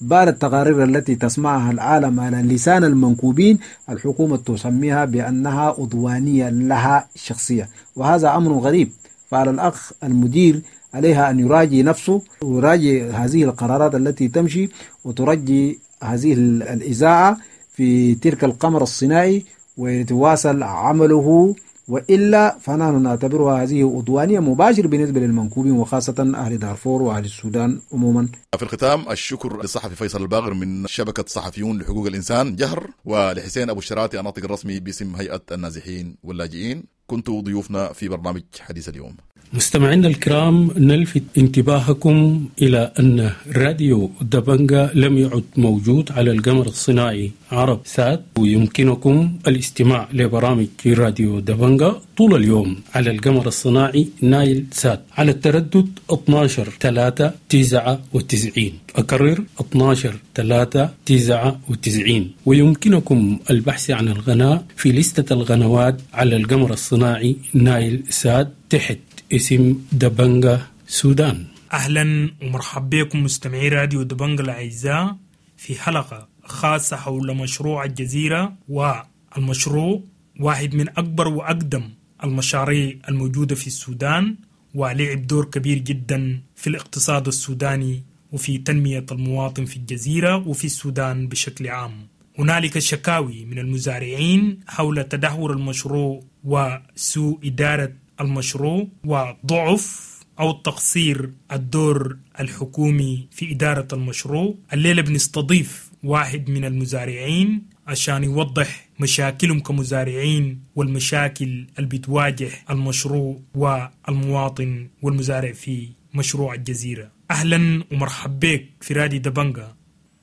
Speaker 12: بعد التقارير التي تسمعها العالم على لسان المنكوبين، الحكومة تسميها بأنها عدوانية لها شخصية، وهذا أمر غريب. فعلى الأخ المدير عليها أن يراجع نفسه ويراجع هذه القرارات التي تمشي وترجي هذه الإذاعة في تلك القمر الصناعي ويتواصل عمله، وإلا فنحن نعتبرها هذه عدوانية مباشر بالنسبة للمنكوبين وخاصة أهل دارفور وأهل السودان عموما.
Speaker 10: في الختام الشكر للصحفي فيصل الباغر من شبكة صحفيون لحقوق الإنسان جهر، ولحسين أبو الشراتي الناطق الرسمي باسم هيئة النازحين واللاجئين. كنتوا ضيوفنا في برنامج حديث اليوم.
Speaker 2: مستمعينا الكرام، نلفت انتباهكم إلى أن راديو دبنجا لم يعد موجود على القمر الصناعي عرب سات، ويمكنكم الاستماع لبرامج راديو دبنجا طول اليوم على القمر الصناعي نايل سات على التردد 12 3 99. أكرر 12 3 99. ويمكنكم البحث عن القناة في لستة القنوات على القمر الصناعي نايل سات تحت اسم دبنجا سودان.
Speaker 13: أهلا ومرحبا بكم مستمعي راديو دبنجا الأعزاء في حلقة خاصة حول مشروع الجزيرة. والمشروع واحد من أكبر وأقدم المشاريع الموجودة في السودان، ولعب دور كبير جدا في الاقتصاد السوداني وفي تنمية المواطن في الجزيرة وفي السودان بشكل عام. هنالك شكاوي من المزارعين حول تدهور المشروع وسوء إدارة المشروع وضعف أو تقصير الدور الحكومي في إدارة المشروع. الليلة بنستضيف واحد من المزارعين عشان يوضح مشاكلهم كمزارعين والمشاكل اللي بتواجه المشروع والمواطن والمزارع في مشروع الجزيرة. أهلا ومرحبا بك في رادي دبنجا.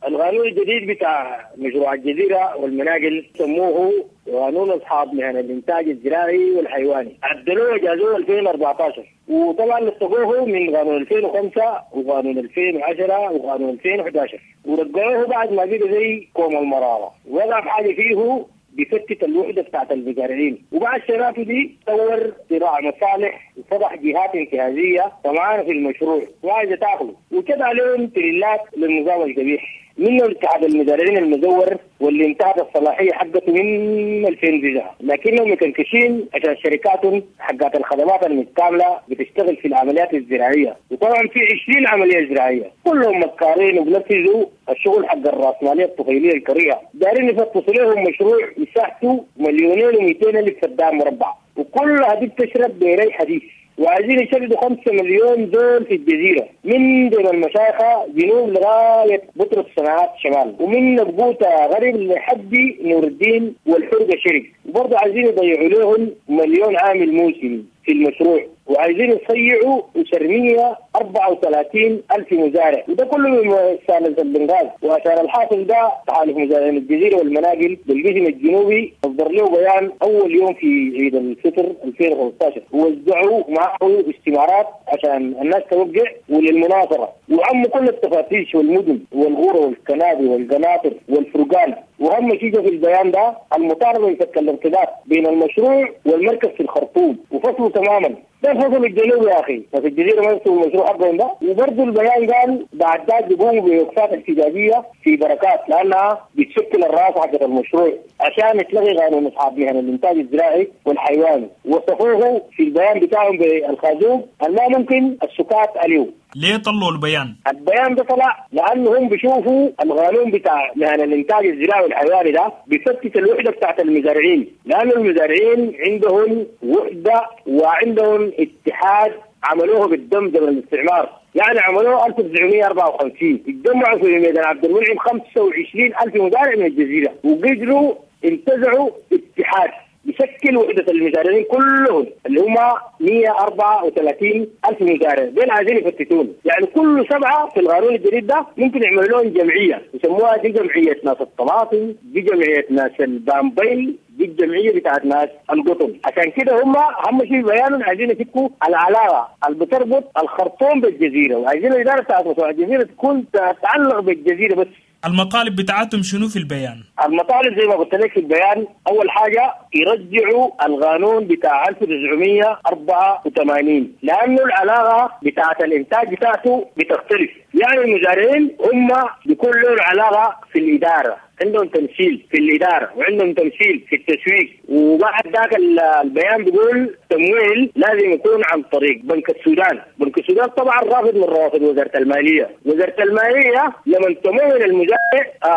Speaker 14: القانون الجديد بتاع مشروع الجزيرة والمناقل سموه قانون أصحاب مهن الإنتاج الزراعي والحيواني، عدلوه وجازوه 2014، وطبعا لصقوه من قانون 2005 وقانون 2010 وقانون 2011، ورجعوه بعد ما بقى زي كوم المرارة، وقع حاجة فيه بفتت الوحدة بتاعت المزارعين. وبعد شرافه دي طور صراع مصالح وفضح جهات انتهازية طمعانة في المشروع وعايزة تاخذه، وكده عليهم تريلات للنظام القبيح، منه اتحاد المزارعين المزور واللي انتهت الصلاحية حقته من 2009، لكنهم مكنكشين عشان شركاتهم حقات الخدمات المتكاملة بتشتغل في العمليات الزراعية، وطبعا في 20 عملية زراعية كلهم مكارين وبنفذوا الشغل حق الراسمالية الطفيليه الكريهة. دارين يفتشوا لهم مشروع مساحته 2,200,000 فدان مربع، وكلها دي بتشرب بري حديث، وعايزين يشردوا 5 مليون زول في الجزيرة من دون المشايخة جنوب لغاية بطرس الصناعات شمال، ومن نبوته غرب لحد نور الدين والحرقة شرق. وبرضه عايزين يضيعوا لهم 1 مليون عامل موسمي في المشروع، وعايزين يصيعوا 734,000 مزارع، وده كله من سالة البنغاز. وعشان الحاصل ده تحالف مزارعين الجزيرة والمناقل بالقسم الجنوبي اصدر له بيان اول يوم في عيد الفطر 2015، ووزعوا معه استمارات عشان الناس توقع وللمناصرة، وعموا كل التفاتيش والمدن والغورة والكنابي والقناطر والفرقان. واهم شيء في البيان ده المطالبة بفك الارتباط بين المشروع والمركز في الخرطوم وفصله تماما. ده الفصل الجنوبي يا اخي، ففي الجزيرة ما يفصلوا المشروع حقهم ده. وبرضه البيان قال بعد ذاك بيقوموا بوقفات احتجاجية في بركات لانها بتشكل الراس حقت المشروع عشان يتلغي قانون اصحاب مهن الانتاج الزراعي والحيواني. وصفوه في البيان بتاعهم بالخازوق ما ممكن السكات عليه.
Speaker 13: ليه طلعوا البيان؟
Speaker 14: البيان ده طلع لانه هم بيشوفوا القانون بتاع مهن الانتاج الزراعي والحيواني ده بيفتت الوحدة بتاعت المزارعين، لانه المزارعين عندهم وحده وعندهم اتحاد عملوه بالدم زمن الاستعمار، يعني عملوه 1954، اتجمعوا في ميدان عبد المنعم 25,000 مزارع من الجزيرة، وقدروا انتزعوا اتحاد بشكل وحدة المزارعين كلهم اللي هم 134,000 مزارع. دول عايزين يفتتون، يعني كل 7 في القانون الجديد ده ممكن يعملوا لهم جمعية يسموها دي جمعية ناس الطماطم، دي جمعية ناس البامبي، دي الجمعية بتاعت ناس القطن. عشان كده هم اهم شيء بيانهم عايزين يفكوا العلاقة اللي بتربط الخرطوم بالجزيرة، وعايزين الإدارة بتاعت مشروع الجزيرة تكون تتعلق بالجزيرة بس.
Speaker 13: المطالب بتاعتهم شنو في البيان؟
Speaker 14: المطالب زي ما قلت لك في البيان، أول حاجة يرجعوا القانون بتاع 1984، لأنه العلاقة بتاعت الإنتاج بتاعته بتختلف. يعني المزارعين هم بيكون لهم علاقة في الإدارة، عندهم تمثيل في الإدارة وعندهم تمثيل في التسويق. وبعد ذاك البيان بيقول تمويل لازم يكون عن طريق بنك السودان. بنك السودان طبعا رافض من روافد وزارة المالية. وزارة المالية لما تمول المزارع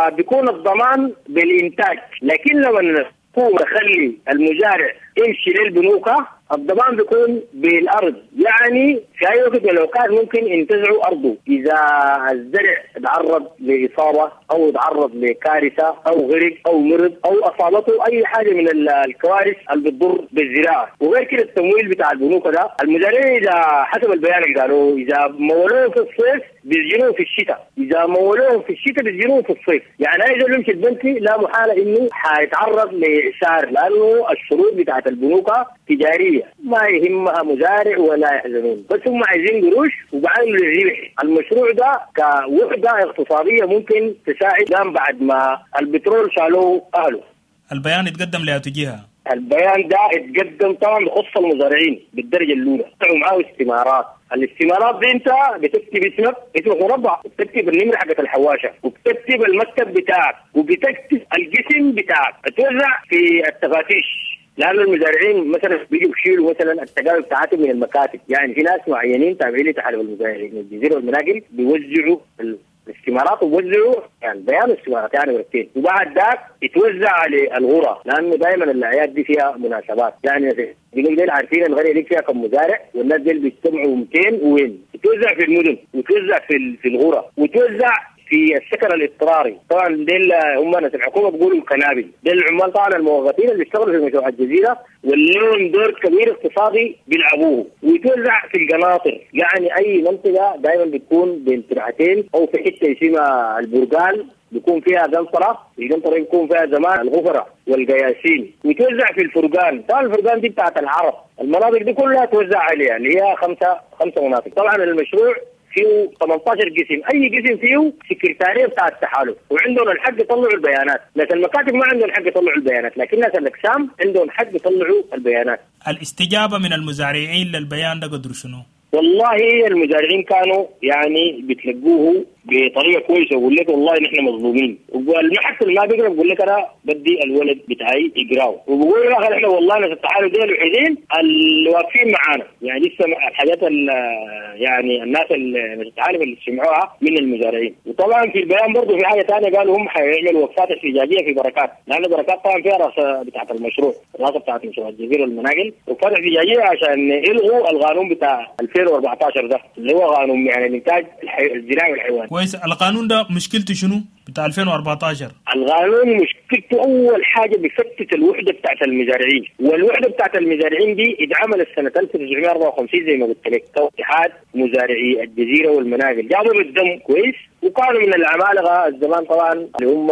Speaker 14: بيكون الضمان بالإنتاج، لكن لما الحكومة تخلي المزارع يمشي للبنوك، الضمان بيكون بالارض، يعني في اي وقت من الاوقات ممكن ينتزعوا ارضه اذا الزرع تعرض لاصابة او تعرض لكارثه او غرق او مرض او اصابته اي حاجة من الكوارث اللي بتضر بالزراعة. وغير كده التمويل بتاع البنوك ده، المزارعين اذا حسب البيان اللي قالوه اذا مولوهم في الصيف بيسجنوهم في الشتاء، اذا مولوهم في الشتاء بيسجنوهم في الصيف. يعني اي زول يمشي البنك لا محالة انه حيتعرض لإعسار، لانه الشروط بتاعت البنوك تجارية، ما يهمها مزارع ولا يحزنون، بس هم عايزين قروش وبعدين للربح. المشروع ده كوحده اقتصادية ممكن تساعد بعد ما البترول شالوه اهله.
Speaker 13: البيان اتقدم لأتو جهة؟
Speaker 14: البيان ده اتقدم طبعا بخص المزارعين بالدرجة الاولى، طلعوا معاه استمارات. الاستمارات دي انت بتكتب اسمك، اسمك مربع، وبتكتب النمرة حقت الحواشه، وبتكتب المكتب بتاعك، وبتكتب القسم بتاعك، توزع في التفاتيش. لانه المزارعين مثلا بيجوا يشيلوا مثلا التقاوي بتاعتهم من المكاتب، يعني في ناس معينين تابعين لتحالف المزارعين الجزيرة والمناقل بيوزعوا الاستمارات ووزعوا يعني بيان الاستمارات يعني ورقتين، وبعد ذاك يتوزع على الغرة، لانه دائما الاعياد دي فيها مناسبات، يعني بيقول ديل عارفين القرية دي فيها كم مزارع والناس ديل بيجتمعوا 200 وين، يتوزع في المدن ويتوزع في الغرة ويتوزع في السكن الاضطراري. طبعا ديل هم ناس الحكومة بيقولوا الكنابل، ديل العمال طبعا الموظفين اللي بيشتغلوا في مشروع الجزيرة واللي دور كبير اقتصادي بيلعبوه، ويتوزع في القناطر، يعني اي منطقة دائما بتكون بين ترعتين او في حتة اسمها البرقال بيكون فيها قنطرة، القنطرة بيكون فيها زمان الغفره والقياسين، ويتوزع في الفرقان. طبعا الفرقان دي بتاعت العرب، المناطق دي كلها توزع عليها اللي هي خمسة مناطق. طبعا المشروع فيه 18 قسم، اي قسم فيه سكرتاريه بتاع التحالف، وعندهم الحق يطلعوا البيانات. ناس المكاتب ما عندهم الحق يطلعوا البيانات، لكن ناس الاقسام عندهم حق يطلعوا البيانات.
Speaker 13: الاستجابة من المزارعين للبيان ده قدر شنو؟
Speaker 14: والله المزارعين كانوا يعني بتلقوه بطريقة كويسة، ويقول لك والله نحن مظلومين، والمحك اللي ما بيقرا بيقول لك انا بدي الولد بتاعي يقراه، وبقول لك احنا والله ناس التحالف دول الوحيدين اللي واقفين معانا، يعني لسه الحاجات يعني الناس اللي التحالف اللي سمعوها من المزارعين. وطبعا في البيان برضه في حاجة ثانية، قالوا هم حيعملوا وقفات احتجاجية في بركات، لان بركات طبعا فيها راسه بتاعت المشروع، راسه بتاعت مشروع الجزيرة والمناقل، وقفات احتجاجية عشان يلغوا القانون بتاع 2014 ده اللي هو قانون يعني الانتاج الزراعي والحيواني.
Speaker 13: كويس، القانون ده مشكلته شنو بتاع 2014؟
Speaker 14: القانون مشكلته اول حاجة بيفتت الوحدة بتاعت المزارعين، والوحدة بتاعت المزارعين دي اتعملت سنة 1954 زي ما قلت لك، اتحاد مزارعي الجزيرة والمناقل، جابوا بالدم كويس، وكانوا من العمالقة الزمان طبعا اللي هم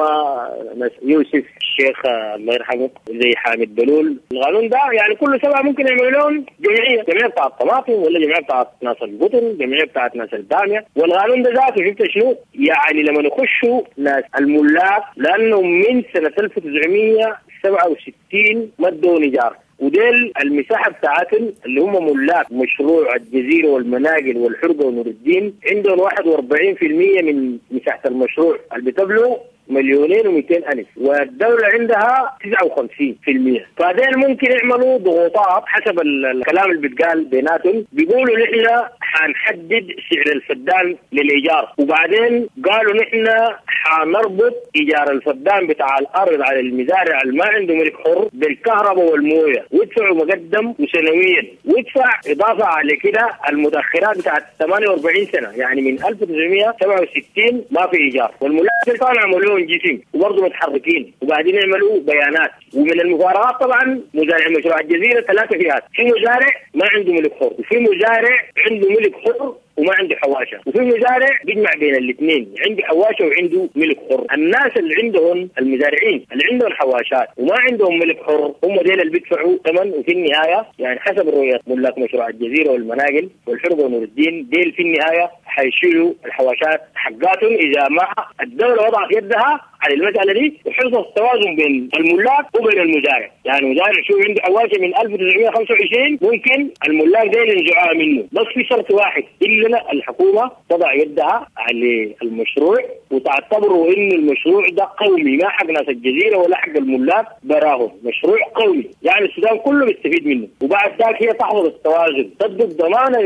Speaker 14: يوسف الشيخ الله يرحمه، زي حامد بلول. القانون ده يعني كل سبعة ممكن يعملوا لهم جمعية، جمعية بتاعت الطماطم ولا جمعية بتاعت ناس القطن، جمعية بتاعت ناس الباميه. والقانون ده ذاته شفت شنو؟ يعني لما يخشوا ناس الملاك، لانه من سنة 1967 ما ادوا ايجار، وديل المساحة بتاعتهم اللي هم ملاك مشروع الجزيرة والمناقل والحرقه ونور الدين عندهم 41% من مساحة المشروع اللي بتبلغ 2,200,000، والدولة عندها 59%. فديل ممكن يعملوا ضغوطات حسب الكلام اللي بيتقال بيناتهم، بيقولوا نحن حنحدد سعر الفدان للإيجار، وبعدين قالوا نحن حنربط إيجار الفدان بتاع الأرض على المزارع اللي ما عنده ملك حر بالكهرباء والموية، ويدفعوا مقدم وسنويا، ويدفع إضافة على كده المتأخرات بتاعت 48 سنة، يعني من 1967 ما في إيجار. والملاك طبعا عملوا جسم وبرضه متحركين وقاعدين يعملوا بيانات. ومن المفارقات طبعا مزارع مشروع الجزيرة 3 فئات، في مزارع ما عنده ملك حر، وفي مزارع عنده ملك حر وما عنده حواشه، وفي مزارع بيجمع بين الاثنين، عنده حواشه وعنده ملك حر. الناس اللي عندهم المزارعين اللي عندهم حواشات وما عندهم ملك حر هم ديل اللي بيدفعوا ثمن، وفي النهاية يعني حسب الرؤية ملاك مشروع الجزيرة والمناقل والحرقه ونور الدين ديل في النهاية حيشيلوا الحواشات حقاتهم اذا ما الدولة وضعت يدها على المسالة دي وحفظ التوازن بين الملاك وبين المزارع. يعني المزارع شو عنده حواشه من 1925 ممكن الملاك ديل ينزعوها منه، بس في شرط واحد، الا الحكومة تضع يدها على المشروع وتعتبره ان المشروع ده قومي، ما حق ناس الجزيرة ولا حق الملاك براهم، مشروع قومي يعني السودان كله بيستفيد منه. وبعد ذاك هي تحفظ التوازن، تدي الضمانة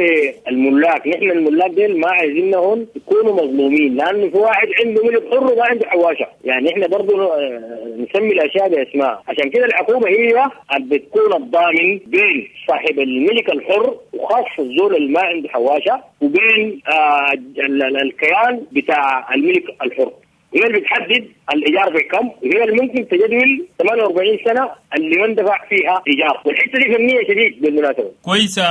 Speaker 14: للملاك، نحن الملاك ديل ما عايزينهم يكونوا مظلومين، لانه في واحد عنده ملك حر وما عنده حواشه. يعني احنا برضه نسمي الاشياء باسماء. عشان كده الحكومة هي اللي بتكون الضامن بين صاحب الملك الحر وخاصة الزول اللي ما عنده حواشه وبين الكيان بتاع الملك الحر. هي اللي بتحدد الايجار بكم، وهي اللي ممكن تجدول 48 سنة اللي ما اندفع فيها ايجار، والحتة دي فنية شديد بالمناسبة.
Speaker 13: كويسة.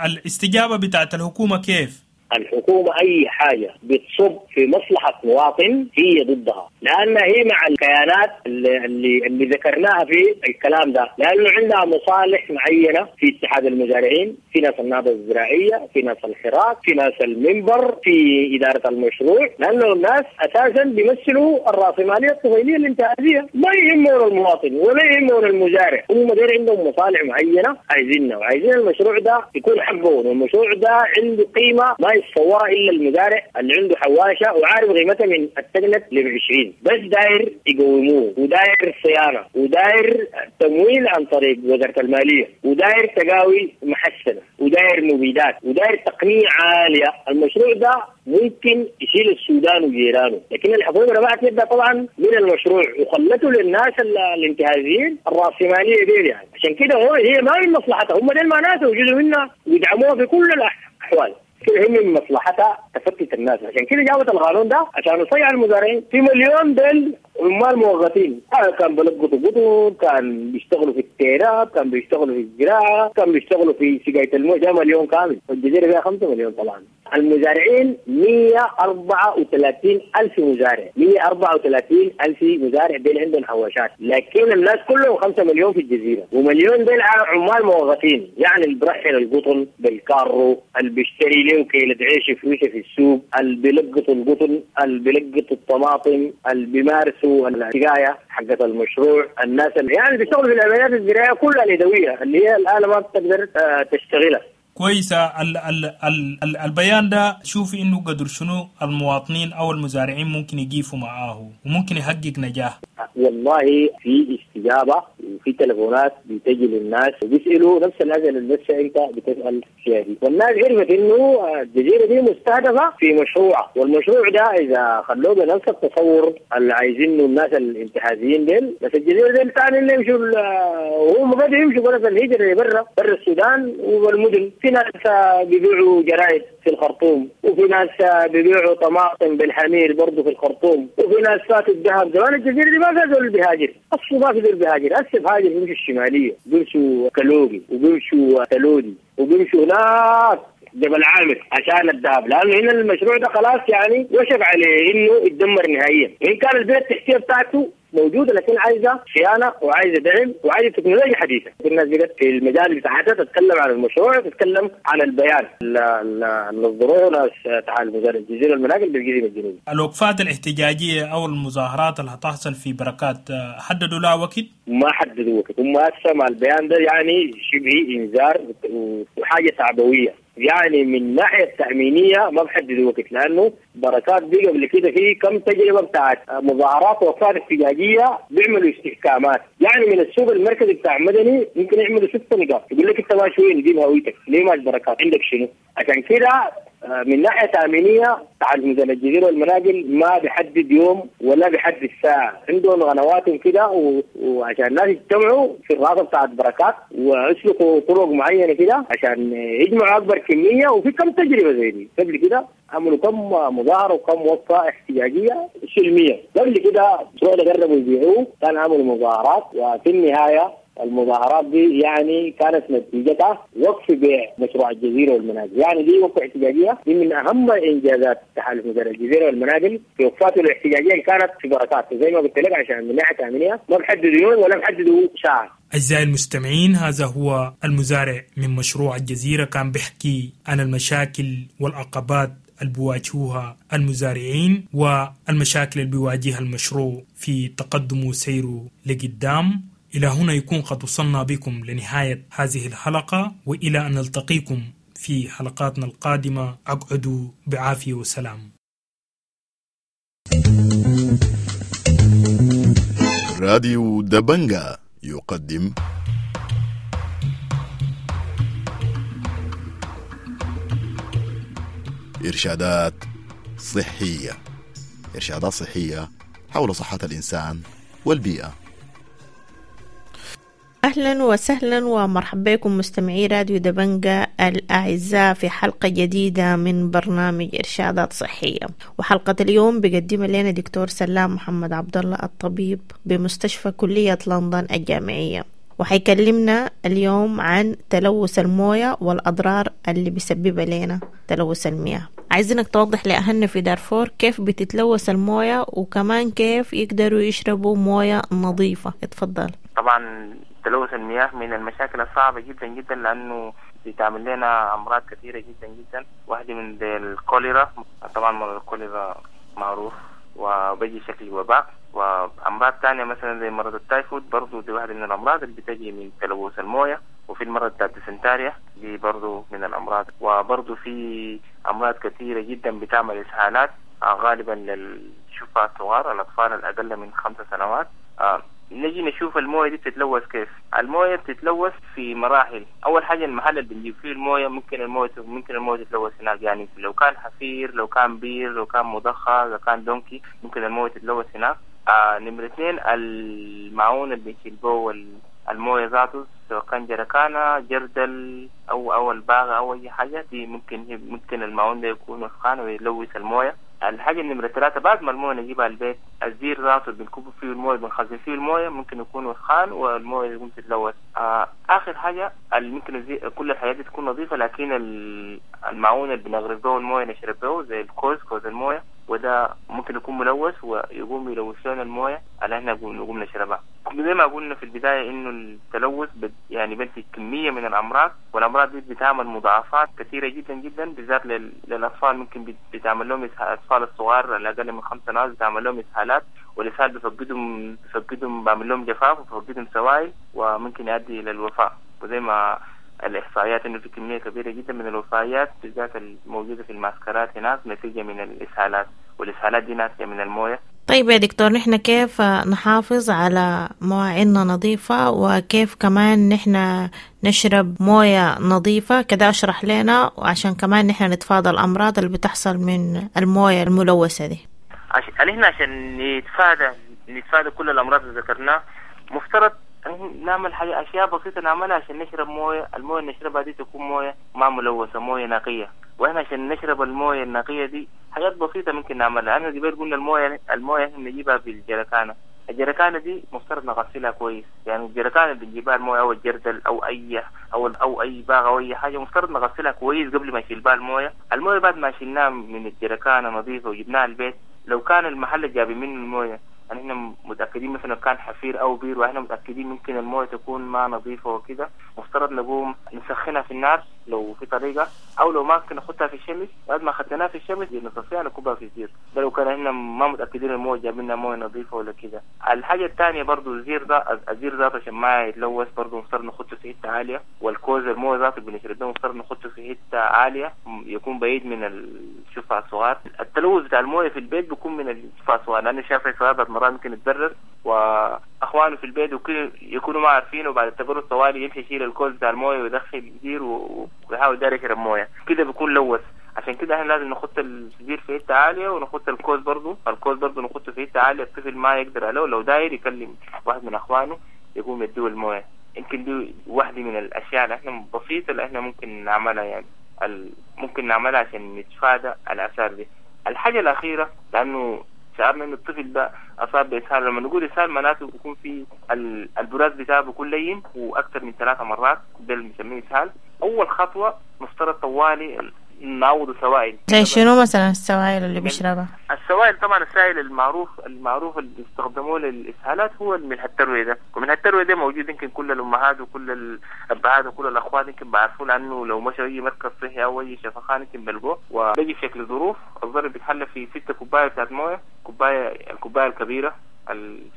Speaker 13: الاستجابة بتاعت الحكومة كيف؟
Speaker 14: الحكومة أي حاجة بتصب في مصلحة مواطن هي ضدها، لأن هي مع الكيانات اللي ذكرناها في الكلام ده، لأنه عندها مصالح معينة في اتحاد المزارعين، في ناس النهضة الزراعية، في ناس الحراك، في ناس المنبر، في إدارة المشروع، لأنه الناس أساسا بيمثلوا الرأسمالية الطفيلية الانتهازية، ما يهمون المواطن ولا يهمون المزارع، هم دير عندهم مصالح معينة عايزينها، وعايزين المشروع ده يكون حقهم، والمشروع ده عنده قيمة ما يتصورها الا المزارع اللي عنده حواشه وعارف قيمتها من التقنت ل 20، بس داير يقوموه وداير صيانة وداير تمويل عن طريق وزارة المالية وداير تقاوي محسنة وداير مبيدات وداير تقنية عالية. المشروع ده ممكن يشيل السودان وجيرانه، لكن الحكومة رفعت يدها طبعا من المشروع وخلته للناس الانتهازيين الراسمالية دي يعني. عشان كده هو هي ما من مصلحتها، هم ديل ما ناس وجزء منها ويدعموها في كل الاحوال. كده هي من مصلحتها تفتت الناس، عشان كده جابت القانون ده عشان يصيع المزارعين. في مليون ديل عمال موظفين، كان بلقطوا قطن، كان بيشتغلوا في التيراب، كان بيشتغلوا في الزراعة، كان بيشتغلوا في سقاية المويه، ده مليون كامل، والجزيرة فيها 5 مليون طبعا. المزارعين 134 ألف مزارع، 134 ألف مزارع ديل عندهم حواشات، لكن الناس كلهم 5 مليون في الجزيرة، ومليون ديل عمال موظفين، يعني اللي برحل القطن بالكارو، اللي بيشتري له كيلة عيش فلوسه في السوق، اللي بيلقطوا القطن، اللي بيلقطوا الطماطم، اللي بيمارسوا السقاية حقت المشروع، الناس اللي يعني بيشتغلوا في العمليات الزراعية كلها اليدوية اللي هي الآلة ما بتقدر تشتغلها.
Speaker 13: كويسة. ال ال ال ال البيان ده شوفي انه قدر شنو المواطنين او المزارعين ممكن يقيفوا معاه وممكن يحقق نجاح.
Speaker 14: والله في استجابة وفي تليفونات بتجي للناس وبيسألوا نفس الأسئلة اللي لسه انت بتسأل فيها دي، والناس عرفت انه الجزيرة دي مستهدفة في مشروع، والمشروع ده اذا خلوه بنفس التصور اللي عايزينه الناس الانتهازيين ديل، بس الجزيرة دي ثاني اللي يمشوا وهم قد يمشوا بلد الهجرة اللي برا السودان والمدن. في ناس بيبيعوا جرايد في الخرطوم، وفي ناس بيبيعوا طماطم بالحمير برضه في الخرطوم، وفي ناس فاتوا الذهب. زمان الجزيرة دي ما في زول بيهاجر، اصلا ما في زول بيهاجر، هسه بهاجر بيمشوا الشمالية، بيمشوا كلوبي وبيمشوا تلودي وبيمشوا هناك جبل عامر عشان الذهب، لانه هنا المشروع ده خلاص يعني وشك عليه انه يتدمر نهائيا. وان كان البنية التحتية بتاعته موجودة لكن عايزه صيانة وعايزه دعم وعايزه تكنولوجيا حديثه. الناس بقت في المجال بتاعتها تتكلم عن المشروع، تتكلم عن البيان اللي اصدروه ناس تعال مزارع الجزيرة المناقل بالجزيره الجنوبية.
Speaker 13: الوقفات الاحتجاجية او المظاهرات اللي هتحصل في بركات حددوا لها وقت؟
Speaker 14: ما حددوا وقت، هم هسه مع البيان ده يعني شبه انذار وحاجه تعبويه، يعني من ناحية التامينيه ما بحددوا وقت، لانه بركات دي قبل كده في كم تجربه بتاعت مظاهرات ووقفات احتجاجية بيعملوا استحكامات، يعني من السوق المركزي بتاع مدني ممكن يعملوا 6 نقاط، يقول لك انت ماشي وين؟ جيب هويتك، ليه ماشي بركات؟ عندك شنو؟ عشان كده من ناحية تامينيه تعال ميزان الجزيرة والمناقل ما بيحدد يوم ولا بيحدد ساعة، عندهم غنواتهم كده وعشان الناس يجتمعوا في الراسه بتاعت بركات ويسلكوا طرق معينة كده عشان يجمعوا اكبر كمية. وفي كم تجربه زي دي قبل كده، عملوا كم مظاهره وكم وقفه احتجاجية سلمية قبل كده، المشروع ده قربوا يبيعوه، كان عملوا مظاهرات، وفي النهاية المظاهرات دي يعني كانت نتيجتها وقف بيع مشروع الجزيرة والمناقل، يعني دي وقفه احتجاجية دي من اهم انجازات تحالف مزارع الجزيرة والمناقل في وقفاته الاحتجاجية اللي كانت في بركات، زي ما قلت لك عشان من ناحية تامينيه ما بحددوا يوم ولا بحددوا ساعة.
Speaker 13: أعزائي المستمعين، هذا هو المزارع من مشروع الجزيرة، كان بيحكي عن المشاكل والعقبات اللي بيواجهوها المزارعين والمشاكل اللي بيواجهها المشروع في تقدمه وسيره لقدام. إلى هنا يكون قد وصلنا بكم لنهاية هذه الحلقة، وإلى أن نلتقيكم في حلقاتنا القادمة، أقعدوا بعافية وسلام.
Speaker 10: راديو دبنجا يقدم إرشادات صحية. إرشادات صحية حول صحة الإنسان والبيئة.
Speaker 15: أهلا وسهلا ومرحبا بكم مستمعي راديو دبنجة الأعزاء في حلقة جديدة من برنامج إرشادات صحية. وحلقة اليوم بيقدمها لنا دكتور سلام محمد عبد الله الطبيب بمستشفى كلية لندن الجامعية، وحيكلمنا اليوم عن تلوث الموية والأضرار اللي بيسببها لنا تلوث المياه. عايزينك توضح لأهلنا في دارفور كيف بتتلوث الموية وكمان كيف يقدروا يشربوا موية نظيفة. اتفضل.
Speaker 16: طبعا تلوث المياه من المشاكل الصعبة جدا جدا، لأنه بتعمل لنا أمراض كثيرة جدا جدا. واحدة من الكوليرا، طبعا مرض الكوليرا معروف وبيجي شكل وباء، وأمراض تانية مثلا زي مرض التايفود برضو دي واحدة من الأمراض اللي بتجي من تلوث الموية، وفي المرض بتاع الديسنتاريا دي برضو من الأمراض، وبرضو في أمراض كثيرة جدا بتعمل إسهالات غالبا للشفاء الصغار، الأطفال الأقل من 5 سنوات. نجي نشوف الموية دي بتتلوث كيف. الموية بتتلوث في مراحل. أول حاجة المحل اللي بنجيب فيه الموية ممكن الموية تتلوث هناك، يعني لو كان حفير، لو كان بير، لو كان مضخة، لو كان donkey، ممكن الموية تتلوث هناك. نمرة 2 المعون اللي بنشيل به الموية ذاته، سواء كان جركانة، جردل أو الباغة أو أي حاجة، دي ممكن المعون ده يكون وسخان ويلوث الموية. الحاجة النمرة 3 بعد ما الموية نجيبها البيت، الزير ذاته اللي بنكب فيه الموية، بنخزن فيه الموية، ممكن يكون وسخان والموية يقوم تتلوث. آخر حاجة ممكن كل الحاجات دي تكون نظيفة، لكن المعون اللي بنغرف به الموية نشرب به زي الكوز، كوز الموية، وده ممكن يكون ملوث ويقوم يلوث لنا الموية اللي احنا نقوم نشربها. زي ما قلنا في البداية انه التلوث يعني بنتج كمية من الامراض، والامراض دي بتعمل مضاعفات كثيرة جدا جدا، بالذات للاطفال. ممكن بتعمل لهم الاطفال الصغار الاقل من 5 سنوات بتعمل لهم اسهالات، والاسهال بفقدهم بعمل لهم جفاف وبفقدهم سوائل، وممكن يؤدي الى الوفاة. وزي ما الإحصائيات إنه في كمية كبيرة جدا من الوفيات بالذات الموجودة في المعسكرات هناك نتيجة من الإسهالات، والإسهالات دي ناتجة من الموية.
Speaker 15: طيب يا دكتور، نحن كيف نحافظ على مواعيننا نظيفة، وكيف كمان نحن نشرب موية نظيفة؟ كده أشرح لنا، وعشان كمان نحن نتفادى الأمراض اللي بتحصل من الموية الملوثة دي.
Speaker 16: نحن عشان نتفادى كل الأمراض اللي ذكرناها، مفترض نعمل حاجة، أشياء بسيطة نعملها عشان نشرب موية. الموية اللي نشربها دي تكون موية ما ملوثة، موية نقية. وإحنا عشان نشرب الموية النقية دي حاجات بسيطة ممكن نعملها. أنا قبل قلنا الموية إحنا بنجيبها بالجركانة. الجركانة دي مفترض نغسلها كويس، يعني الجركانة اللي بنجيبها الموية أو الجردل أو أي أو أي باغ أو أي حاجة، مفترض نغسلها كويس قبل ما نشيل بها الموية. الموية بعد ما شلناها من الجركانة نظيفة وجبناها البيت، لو كان المحل اللي جابي منه الموية يعني احنا متأكدين مثلا كان حفير أو بير، واحنا متأكدين ممكن الموية تكون ما نظيفة وكده، مفترض نقوم نسخنها في النار لو في طريقة، أو لو ما ممكن نحطها في الشمس. بعد ما خدناها في الشمس نصفيها نكبها في الزير، ده لو كان احنا ما متأكدين الموية جابلنا موية نظيفة ولا كده. الحاجة الثانية برضو الزير ده، الزير ذاته عشان ما يتلوث برضو مفترض نحطه في حتة عالية، والكوز الموية ذاته بنشرب ده مفترض نحطه في حتة عالية يكون بعيد من الشفع الصغار. التلوث بتاع الموية في البيت بيكون من الشفع الصغار، لأنه شاف الصغار مرات ممكن يتبرد، واخوانه في البيت وكل يكونوا ما عارفين، وبعد التبرد طوالي يمشي يشيل الكوز بتاع المويه ويدخل الزير ويحاول داير يشرب مويه، كده بيكون لوث. عشان كده احنا لازم نحط الزير في حته عاليه، ونحط الكوز برضه، الكوز برضه نحطه في حته عاليه الطفل ما يقدر عليه، لو داير يكلم واحد من اخوانه يقوم يديه المويه. يمكن دي واحده من الاشياء اللي احنا بسيطه اللي احنا ممكن نعملها، يعني ممكن نعملها عشان نتفادى الاثار دي. الحاجه الاخيره، لانه شعرنا ان الطفل ده اصاب باسهال، لما نقول اسهال معناته بيكون في البراز بتاعه بيكون لين واكثر من 3 مرات، ده اللي بنسميه اسهال. اول خطوه مفترض طوالي نعوض سوائل.
Speaker 15: زي شنو مثلا السوائل اللي بيشربها؟
Speaker 16: السوائل طبعا السائل المعروف اللي بيستخدموه للاسهالات هو الملح الترويه ده، وملح الترويه ده موجود يمكن كل الامهات وكل الابهات وكل الاخوات يمكن بيعرفوه، لانه لو مشوا اي مركز صحي او اي شفخانه يمكن بلقوه. وبيجي في شكل ظروف، الظرف بيتحلى في 6 كوبايه بتاعت مويه، الكوبايه الكبيره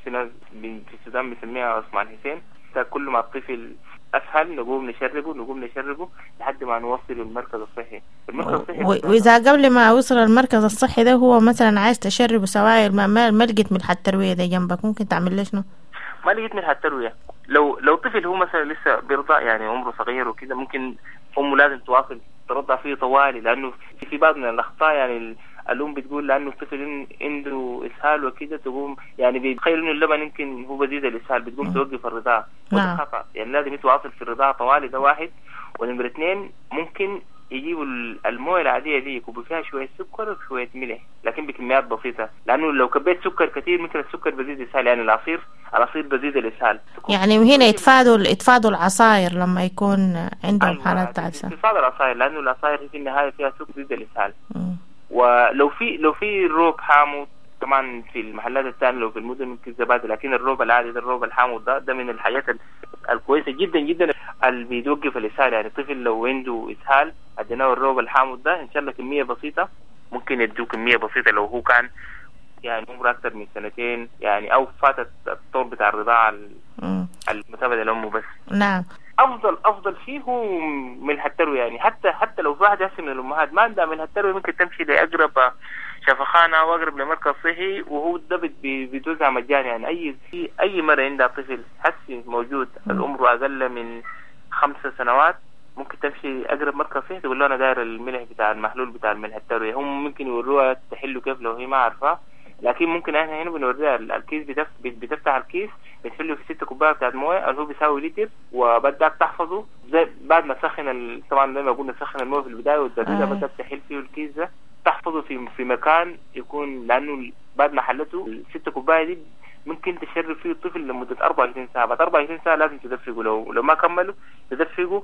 Speaker 16: في ناس في السودان بنسميها عثمان حسين. كل ما الطفل اسهل نقوم نشربه لحد ما نوصله المركز الصحي. المركز الصحي
Speaker 15: واذا قبل ما وصل المركز الصحي ده هو مثلا عايز تشربه سوائل ما لقيت ملح الترويه ده جنبك، ممكن تعمل له شنو؟
Speaker 16: ما لقيت ملح الترويه، لو طفل هو مثلا لسه بيرضع يعني عمره صغير وكده، ممكن امه لازم تواصل ترضع فيه طوالي، لانه في بعض من الاخطاء يعني الام بتقول لانه الطفل عنده اسهال وكده، تقوم يعني بيتخيل انه اللبن يمكن هو بزيد الاسهال، بتقوم توقف الرضاعة. وده خطا، يعني لازم يتواصل في الرضاعة طوالي، ده واحد. ونمره اثنين، ممكن يجيبوا المويه العادية دي يكبوا فيها شوية سكر وشوية ملح، لكن بكميات بسيطة، لانه لو كبيت سكر كثير ممكن السكر بزيد الاسهال، يعني العصير بزيد الاسهال.
Speaker 15: يعني هنا يتفادوا العصاير لما يكون عندهم حالات تعسف.
Speaker 16: يتفادوا العصاير لانه العصاير في النهاية فيها سكر بزيد الاسهال. ولو في روب حامض طبعا في المحلات الثانية، لو في المدن ممكن زبادي، لكن الروب العادي ده، الروب الحامض ده من الحاجات الكويسة جدا جدا اللي بيوقف الاسهال. يعني الطفل لو عنده اسهال اديناه الروب الحامض ده ان شاء الله كمية بسيطة، ممكن يدوه كمية بسيطة لو هو كان يعني عمره اكثر من سنتين يعني، او فاتت الطور بتاع الرضاعة المتابعة لامه بس.
Speaker 15: نعم.
Speaker 16: افضل شيء هو ملح التروية، يعني حتى لو في واحد هسه من الامهات ما عندها ملح التروية، ممكن تمشي لاقرب شفخانه واقرب لمركز صحي، وهو ده بيتوزع مجاني. يعني اي مرة عندها طفل حسي موجود العمر اقل من 5 سنوات، ممكن تمشي اقرب مركز صحي تقول له انا داير الملح بتاع المحلول بتاع الملح التروية. هم ممكن يوروها تحله كيف لو هي ما عارفه، لكن ممكن احنا هنا بنوريها الكيس، بتفتح الكيس بتحله في 6 كوباية بتاعت مويه اللي هو بيساوي لتر، وبدك تحفظه زي بعد ما تسخن طبعا زي ما قلنا تسخن المويه في البداية وتبردها، بدك تحل فيه الكيس ده، تحفظه في مكان يكون، لانه بعد ما حلته ال6 كوباية دي ممكن تشرب فيه الطفل لمدة 24 ساعة. بعد 24 ساعة لازم تدفقه، لو ما كملوا تدفقه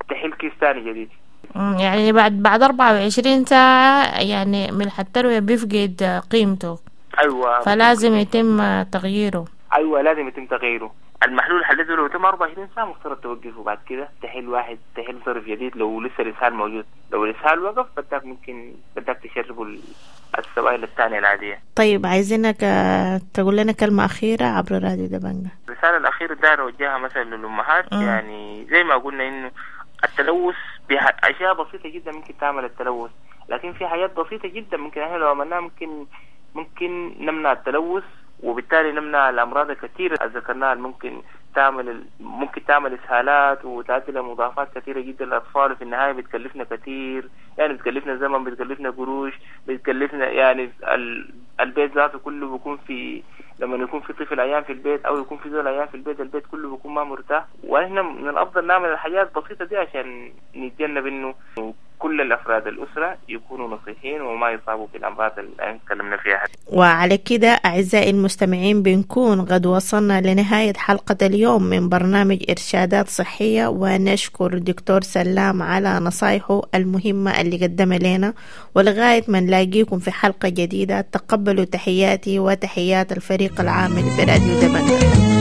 Speaker 16: تحل كيس ثاني جديد.
Speaker 15: يعني بعد 24 ساعة يعني ملح التروية بيفقد قيمته.
Speaker 16: أيوة.
Speaker 15: فلازم يتم تغييره.
Speaker 16: أيوة لازم يتم تغييره. المحلول حلته لو تم 24 ساعة مفترض توقفه، بعد كده تحل تحل صرف جديد لو لسه الإسهال موجود. لو الإسهال وقف بدك تشربه السوائل الثانية العادية.
Speaker 15: طيب عايزينك تقول لنا كلمة أخيرة عبر راديو دبنجة.
Speaker 16: الرسالة الأخيرة داير أوجهها مثلا للأمهات، يعني زي ما قلنا إنه التلوث بأشياء بسيطة جدا ممكن تعمل التلوث، لكن في حاجات بسيطة جدا ممكن احنا لو عملناها ممكن نمنع التلوث، وبالتالي نمنع الأمراض الكثيرة اللي ذكرناها، ممكن تعمل إسهالات وتؤدي لمضاعفات كثيرة جدا للأطفال، وفي النهاية بتكلفنا كثير، يعني بتكلفنا زمن، بتكلفنا قروش، بتكلفنا يعني البيت ذاته كله بيكون في، لما يكون في طفل عيان في البيت أو يكون في زول عيان في البيت، البيت كله بيكون ما مرتاح. ونحن من الأفضل نعمل الحاجات البسيطة دي عشان نتجنب إنه كل الأفراد الأسرة يكونوا نصيحين وما يصابوا بالأمراض اللي تكلمنا فيها.
Speaker 15: وعلى كده أعزائي المستمعين بنكون قد وصلنا لنهاية حلقة اليوم من برنامج إرشادات صحية، ونشكر دكتور سلام على نصايحه المهمة اللي قدمها لنا، ولغاية ما نلاقيكم في حلقة جديدة تقبلوا تحياتي وتحيات الفريق العامل براديو دبنجة.